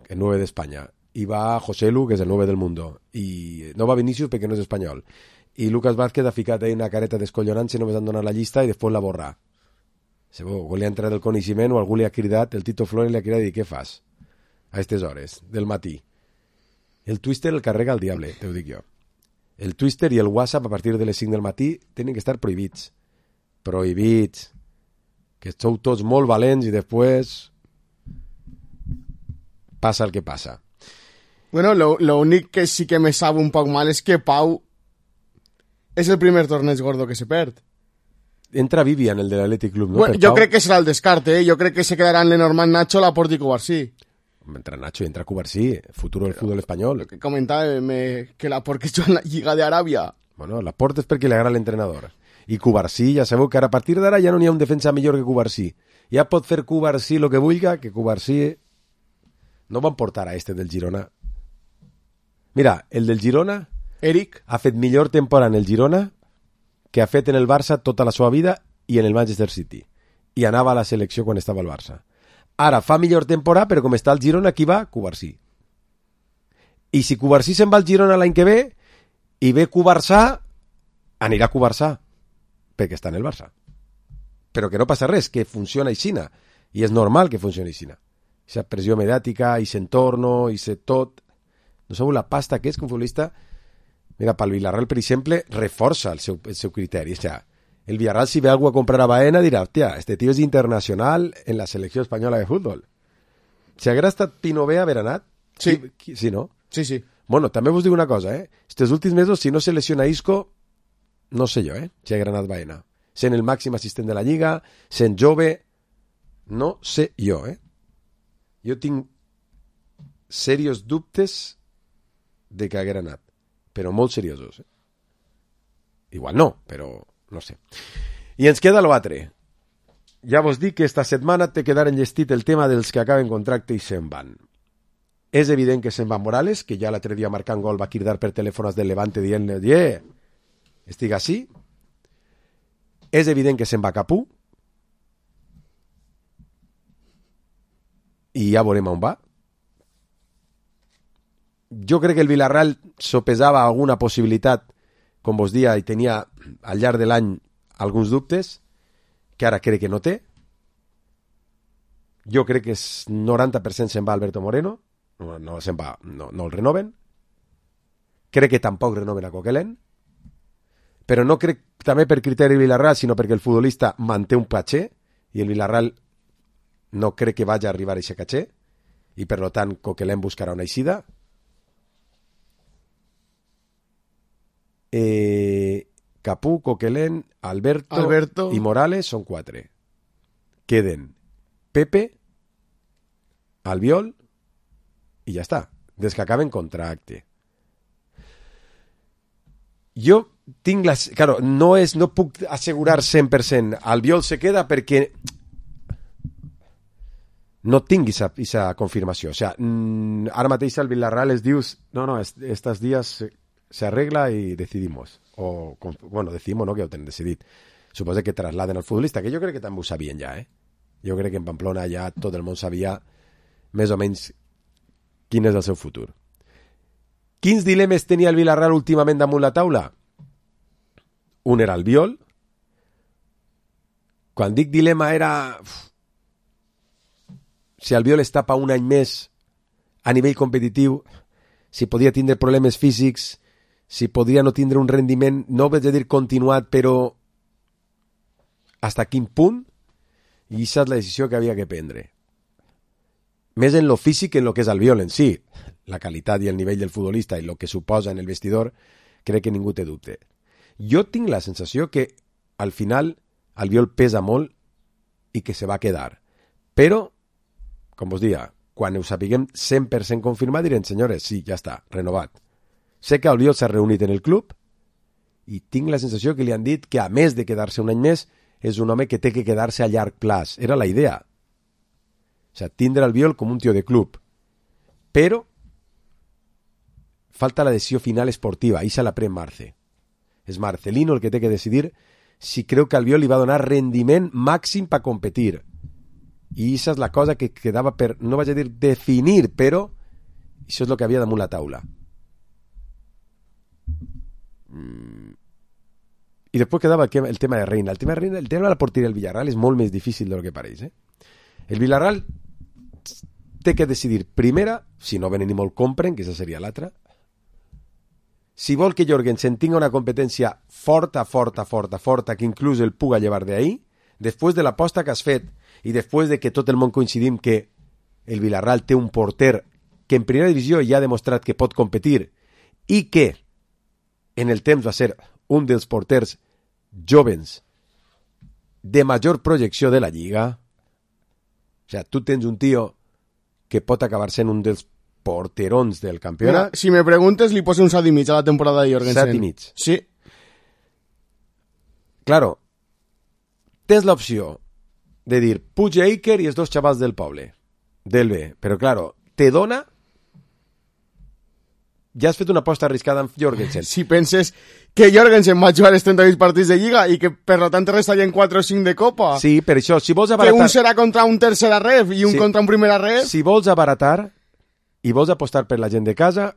el 9 d'Espanya, i va Joselu, que és el 9 del mundo, i no va Vinicius perquè no és espanyol, i Lucas Vázquez ha ficat ahí una careta descollonant-se, només han donat la llista i després la borrar. Si algú li ha entrat el coneixement o algú li ha cridat, el Tito Flores li ha cridat i què fas a aquestes hores del matí? El Twister el carrega el diable, te ho dic jo. El Twister i el WhatsApp a partir de les 5 del matí tenen que estar prohibits. Prohibits. Que sou tots molt valents i després passa el que passa. Bueno, lo únic que sí que me sabe un poc mal és que Pau és el primer torneig gordo que se perd. Entra Vivian, el de l'Athletic Club, no? Bueno, jo crec que serà el descarte, Jo crec que se quedaran Lenormand, Nacho, Laporte i Cubarsí. Entra Nacho, entra Cubarsí, futuro del fútbol espanyol. Lo que comentava, que Laporte juga en la Lliga d'Aràbia. Bueno, Laporte és perquè li agrada l'entrenador. I Cubarsí, ja sabeu que ara a partir d'ara ja no n'hi ha un defensa millor que Cubarsí. Ja pot fer Cubarsí lo que vulga, que Cubarsí no van portar a este del Girona. Mira, el del Girona, Eric, ha fet millor temporada en el Girona que ha fet en el Barça tota la seva vida i en el Manchester City. I anava a la selecció quan estava al Barça. Ara fa millor temporada, però com està el Girona, qui va? Cubarsí. I si Cubarsí se'n va al Girona l'any que ve i ve Cubarsà, anirà a Cubarsà, perquè està en el Barça. Però que no passa res, que funciona aixina. I és normal que funcioni aixina. Aquesta pressió mediàtica, i s'entorno, i se tot. No sabeu la pasta que és que un futbolista... Mira, pel Villarreal, per exemple, reforça el seu criteri. O sea, el Villarreal, si ve algú a comprar a Baena, dirà, hòstia, este tío és internacional en la selecció espanyola de futbol. Si haguera estat Pinové haver anat... Sí. Sí, no? Sí, sí. Bueno, també vos dic una cosa, Estos últims mesos, si no se lesiona Isco, no sé jo, si haguera anat Baena. Sent el màxim assistent de la Lliga, sent jove, no sé jo, Jo tinc serios dubtes de que haguera anat. Però molt seriosos. Igual no, però no sé. I ens queda l'altre. Ja vos dic que esta setmana té que quedar enllestit el tema dels que acaben contracte i se'n van. És evident que se'n va Morales, que ja l'altre dia marcant gol va cridar per telèfons del Levante dient-li, estic així. És evident que se'n va Capú. I ja veurem on va. Jo crec que el Villarreal sopesava alguna possibilitat, com vos dia, i tenia al llarg de l'any alguns dubtes, que ara crec que no té. Jo crec que 90% se'n va Alberto Moreno, no se'n va, no el renoven. Crec que tampoc renoven a Coquelin, però no crec també per criteri Villarreal, sinó perquè el futbolista manté un patxer, i el Villarreal no crec que vagi a arribar a aquest caché, i per tant Coquelin buscarà una eixida. Capú, Coquelin, Alberto i Morales són 4. Queden Pepe, Albiol i ja està, des que acaben contracte. Jo tinc claro, no puc assegurar 100%. Albiol se queda perquè no tinc esa confirmació. O sea, ara mateix al Villarreal es dius estos días se arregla y decidimos. O, bueno, decidimos no, que ho tenen decidit. Suposo que trasladen al futbolista, que jo crec que també ho sabien ja, Jo crec que en Pamplona ja tot el món sabia més o menys quin és el seu futur. Quins dilemes tenia el Villarreal últimament damunt la taula? Un era Albiol. Quan dic dilema era si Albiol es tapa un any més a nivell competitiu, si podia tindre problemes físics, si podria no tindre un rendiment, no vaig a dir continuat, però hasta quin punt, i aquesta és la decisió que havia que prendre. Més en lo físic que en lo que és Albiol en si. La qualitat i el nivell del futbolista i el que suposa en el vestidor, crec que ningú té dubte. Jo tinc la sensació que al final Albiol pesa molt i que se va quedar. Però, com vos dia, quan ho sapiguem 100% confirmat, direm, senyores, sí, ja està, renovat. Sé que Albiol s'ha reunit en el club i tinc la sensació que li han dit que, a més de quedar-se un any més, és un home que té que quedar-se a llarg plaç. Era la idea. O sea, tindre Albiol com un tio de club. Però falta la decisió final esportiva. Ixa la pren Marce. És Marcelino el que té que decidir si creu que Albiol li va donar rendiment màxim per competir. I això és la cosa que quedava per, no vaig a dir definir, però això és el que havia damunt la taula. I després quedava el tema de Reina. El tema de la porteria del Villarreal és molt més difícil del que pareix. El Villarreal té que decidir primera, si no venen ni molt compren, que aquesta seria l'altra, si vol que Jorgensen tinga una competència forta, que inclús el puga llevar d'ahí, després de l'aposta que has fet i després de que tot el món coincidim que el Villarreal té un porter que en primera divisió ja ha demostrat que pot competir i que en el temps va ser un dels porters jovens de major projecció de la Lliga. O sea, tu tens un tio que pot acabar sent un dels porterons del campionat. Mira, si me preguntes, li poso un 7 i mig a la temporada de Jorgensen. 7 i mig. Sí. Claro, tens l'opció de dir Puig i Iker i els dos xavals del poble, del B, però claro, te dona... Ja has fet una aposta arriscada amb Jorgensen. Si penses que Jorgensen va jugar els 38 partits de Lliga i que per lo tant restarien 4 o 5 de Copa. Sí, per això, si vols abaratar... Que un serà contra un tercera ref i un contra un primera ref. Si vols abaratar i vols apostar per la gent de casa,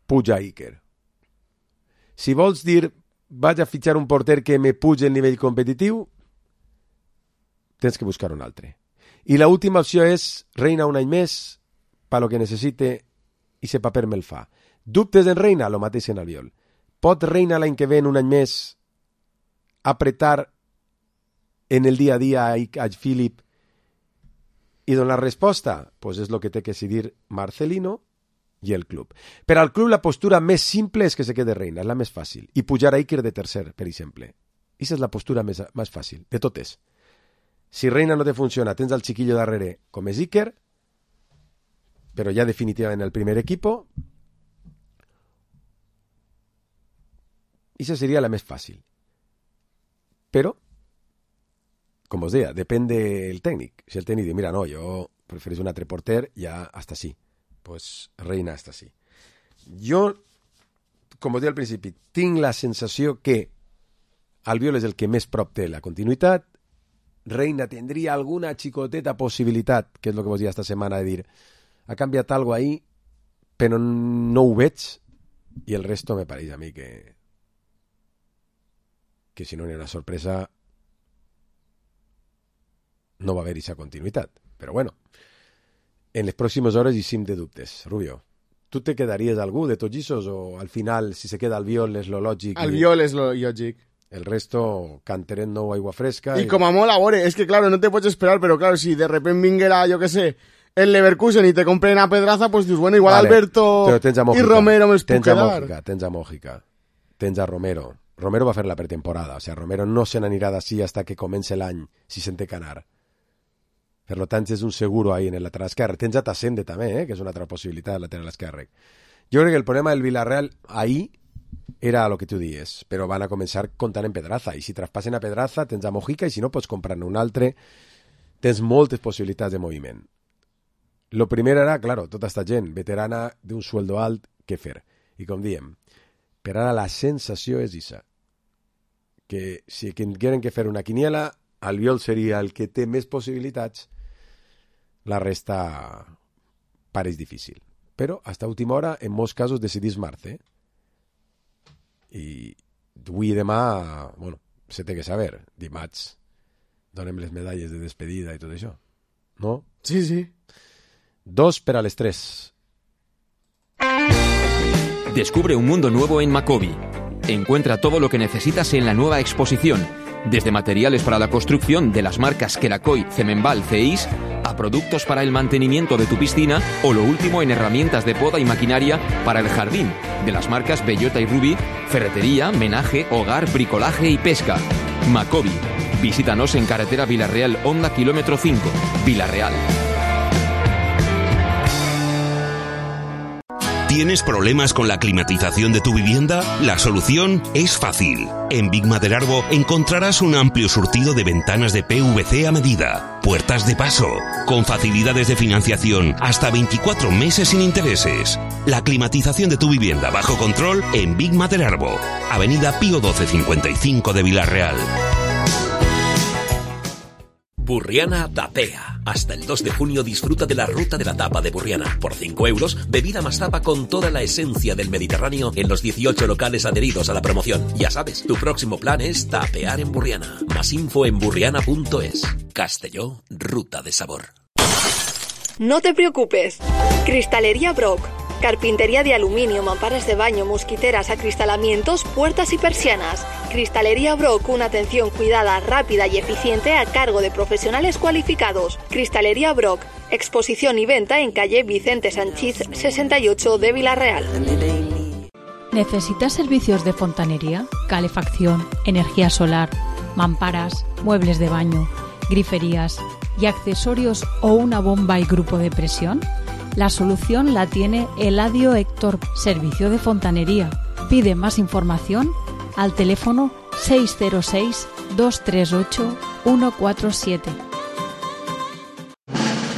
Puig a Iker. Si vols dir vaig a fitxar un porter que me pugi el nivell competitiu, tens que buscar un altre. I la última opció és Reina un any més per lo que necessite i se paper me'l fa. Dubtes en Reina? Lo mateix en Albiol. Pot Reina l'any que ve, en un any més, apretar en el dia a dia a Philip i donar resposta? Pues és el que té que decidir Marcelino i el club. Per al club la postura més simple és que se quede Reina, és la més fàcil. I pujar a Iker de tercer, per exemple. Aquesta és la postura més fàcil, de totes. Si Reina no te funciona, tens el xiquillo darrere, com és Iker, però ja definitivament el primer equipo. Esa seria la més fàcil. Però, com us deia, depèn del tècnic. Si el tècnic diu, mira, no, jo prefereixo un altre porter, ja hasta sí. Pues Reina hasta sí. Jo, com us deia al principi, tinc la sensació que Albiol és el que més prop té la continuïtat. Reina tindria alguna xicoteta possibilitat, que és el que vos deia esta setmana, de dir, ha canviat algo ahí, però no ho veig, i el resto me pareix a mi que si no n'hi ha una sorpresa no va haver aquesta continuïtat. Però bueno, en les pròximes hores hi sim de dubtes. Rubio, tu te quedaries algú de tots aquests o al final, si se queda Albiol és lo lògic? Albiol és lo lògic. El resto, canteret nou, aigua fresca... Y como a mola, bore, es que claro, no te puedes esperar, pero claro, si de repente vinguera, yo qué sé, el Leverkusen y te compren a Pedraza, pues dius, bueno, igual vale, Alberto y Romero me es puc quedar. Tens a Mójica, tens a Romero. Romero va fer la pretemporada, o sea, Romero no se n'anirà d'ací hasta que comence l'any, si se'n té que anar. Per tant, és un seguro ahí en el lateral esquerre. Tens a Tassende també, que és una altra possibilitat al lateral esquerre. Jo crec que el problema del Villarreal ahí era lo que tu dies, però van a començar comptant en Pedraza, i si traspassen a Pedraza tens a Mojica, i si no pots comprar-ne un altre, tens moltes possibilitats de moviment. Lo primer era, claro, tota esta gent veterana d'un sueldo alt, què fer? I com diem, per ara la sensació és isa, que si tingueren que fer una quiniela, Albiol seria el que té més possibilitats, la resta pareix difícil. Però, hasta última hora, en molts casos decidís Marce. I avui i demà, bueno, se té que saber. Dimarts donem les medalles de despedida i tot això. ¿No? Sí, sí. 2 per a les 3. Descubre un mundo nuevo en Macobi. Encuentra todo lo que necesitas en la nueva exposición, desde materiales para la construcción de las marcas Kerakoy, Cemenbal, Ceis, a productos para el mantenimiento de tu piscina o lo último en herramientas de poda y maquinaria para el jardín, de las marcas Bellota y Ruby, ferretería, menaje, hogar, bricolaje y pesca. Macobi. Visítanos en carretera Villarreal, Honda kilómetro 5, Villarreal. ¿Tienes problemas con la climatización de tu vivienda? La solución es fácil. En Big Maderarbo encontrarás un amplio surtido de ventanas de PVC a medida, puertas de paso, con facilidades de financiación hasta 24 meses sin intereses. La climatización de tu vivienda bajo control en Big Maderarbo, Avenida Pío 1255 de Villarreal. Burriana Tapea. Hasta el 2 de junio disfruta de la ruta de la tapa de Burriana. Por 5 euros, bebida más tapa con toda la esencia del Mediterráneo en los 18 locales adheridos a la promoción. Ya sabes, tu próximo plan es tapear en Burriana. Más info en burriana.es. Castelló, ruta de sabor. No te preocupes. Cristalería Brock. Carpintería de aluminio, mamparas de baño, mosquiteras, acristalamientos, puertas y persianas. Cristalería Brock, una atención cuidada, rápida y eficiente a cargo de profesionales cualificados. Cristalería Brock, exposición y venta en calle Vicente Sanchís 68 de Villarreal. ¿Necesitas servicios de fontanería, calefacción, energía solar, mamparas, muebles de baño, griferías y accesorios o una bomba y grupo de presión? La solución la tiene Eladio Héctor, servicio de fontanería. Pide más información al teléfono 606-238-147.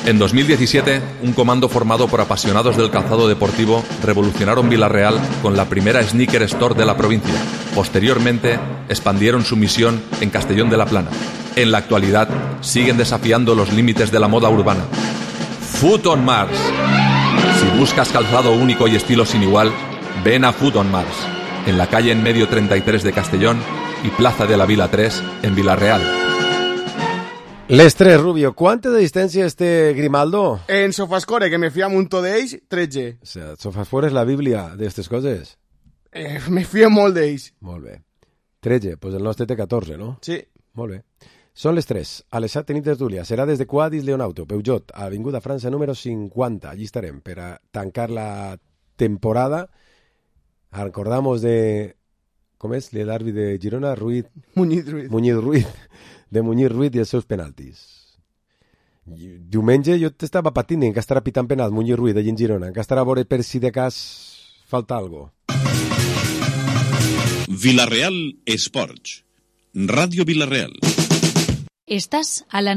En 2017, un comando formado por apasionados del calzado deportivo revolucionaron Villarreal con la primera sneaker store de la provincia. Posteriormente, expandieron su misión en Castellón de la Plana. En la actualidad, siguen desafiando los límites de la moda urbana. Foot on Mars. Si buscas calzado único y estilo sin igual, ven a Foot on Mars, en la calle en medio 33 de Castellón y Plaza de la Vila 3 en Villarreal. Les 3, Rubio. ¿Cuánto de distancia este Grimaldo? En Sofascore, que me fío mucho d'ells, 13. O sea, Sofascore és la bíblia d'aquestes coses? Me fío molt d'ells. Molt bé. 13, pues el nostre té 14, no? Sí. Molt bé. Són les 3. A les 7 tenim tertúlia. Serà des de Quadis Leonauto, Peugeot, a Avinguda França número 50. Allí estarem per a tancar la temporada. Recordamos de... Com és? L'àrbitre de Girona, Ruiz... Muñiz Ruiz. De Muñiz Ruiz i els seus penaltis. Diumenge jo t'estava patint en que estarà pitant penal Muñiz Ruiz allí en Girona, en que estarà a veure per si de cas falta algo. Villarreal Esports. Radio Villarreal. Estás a la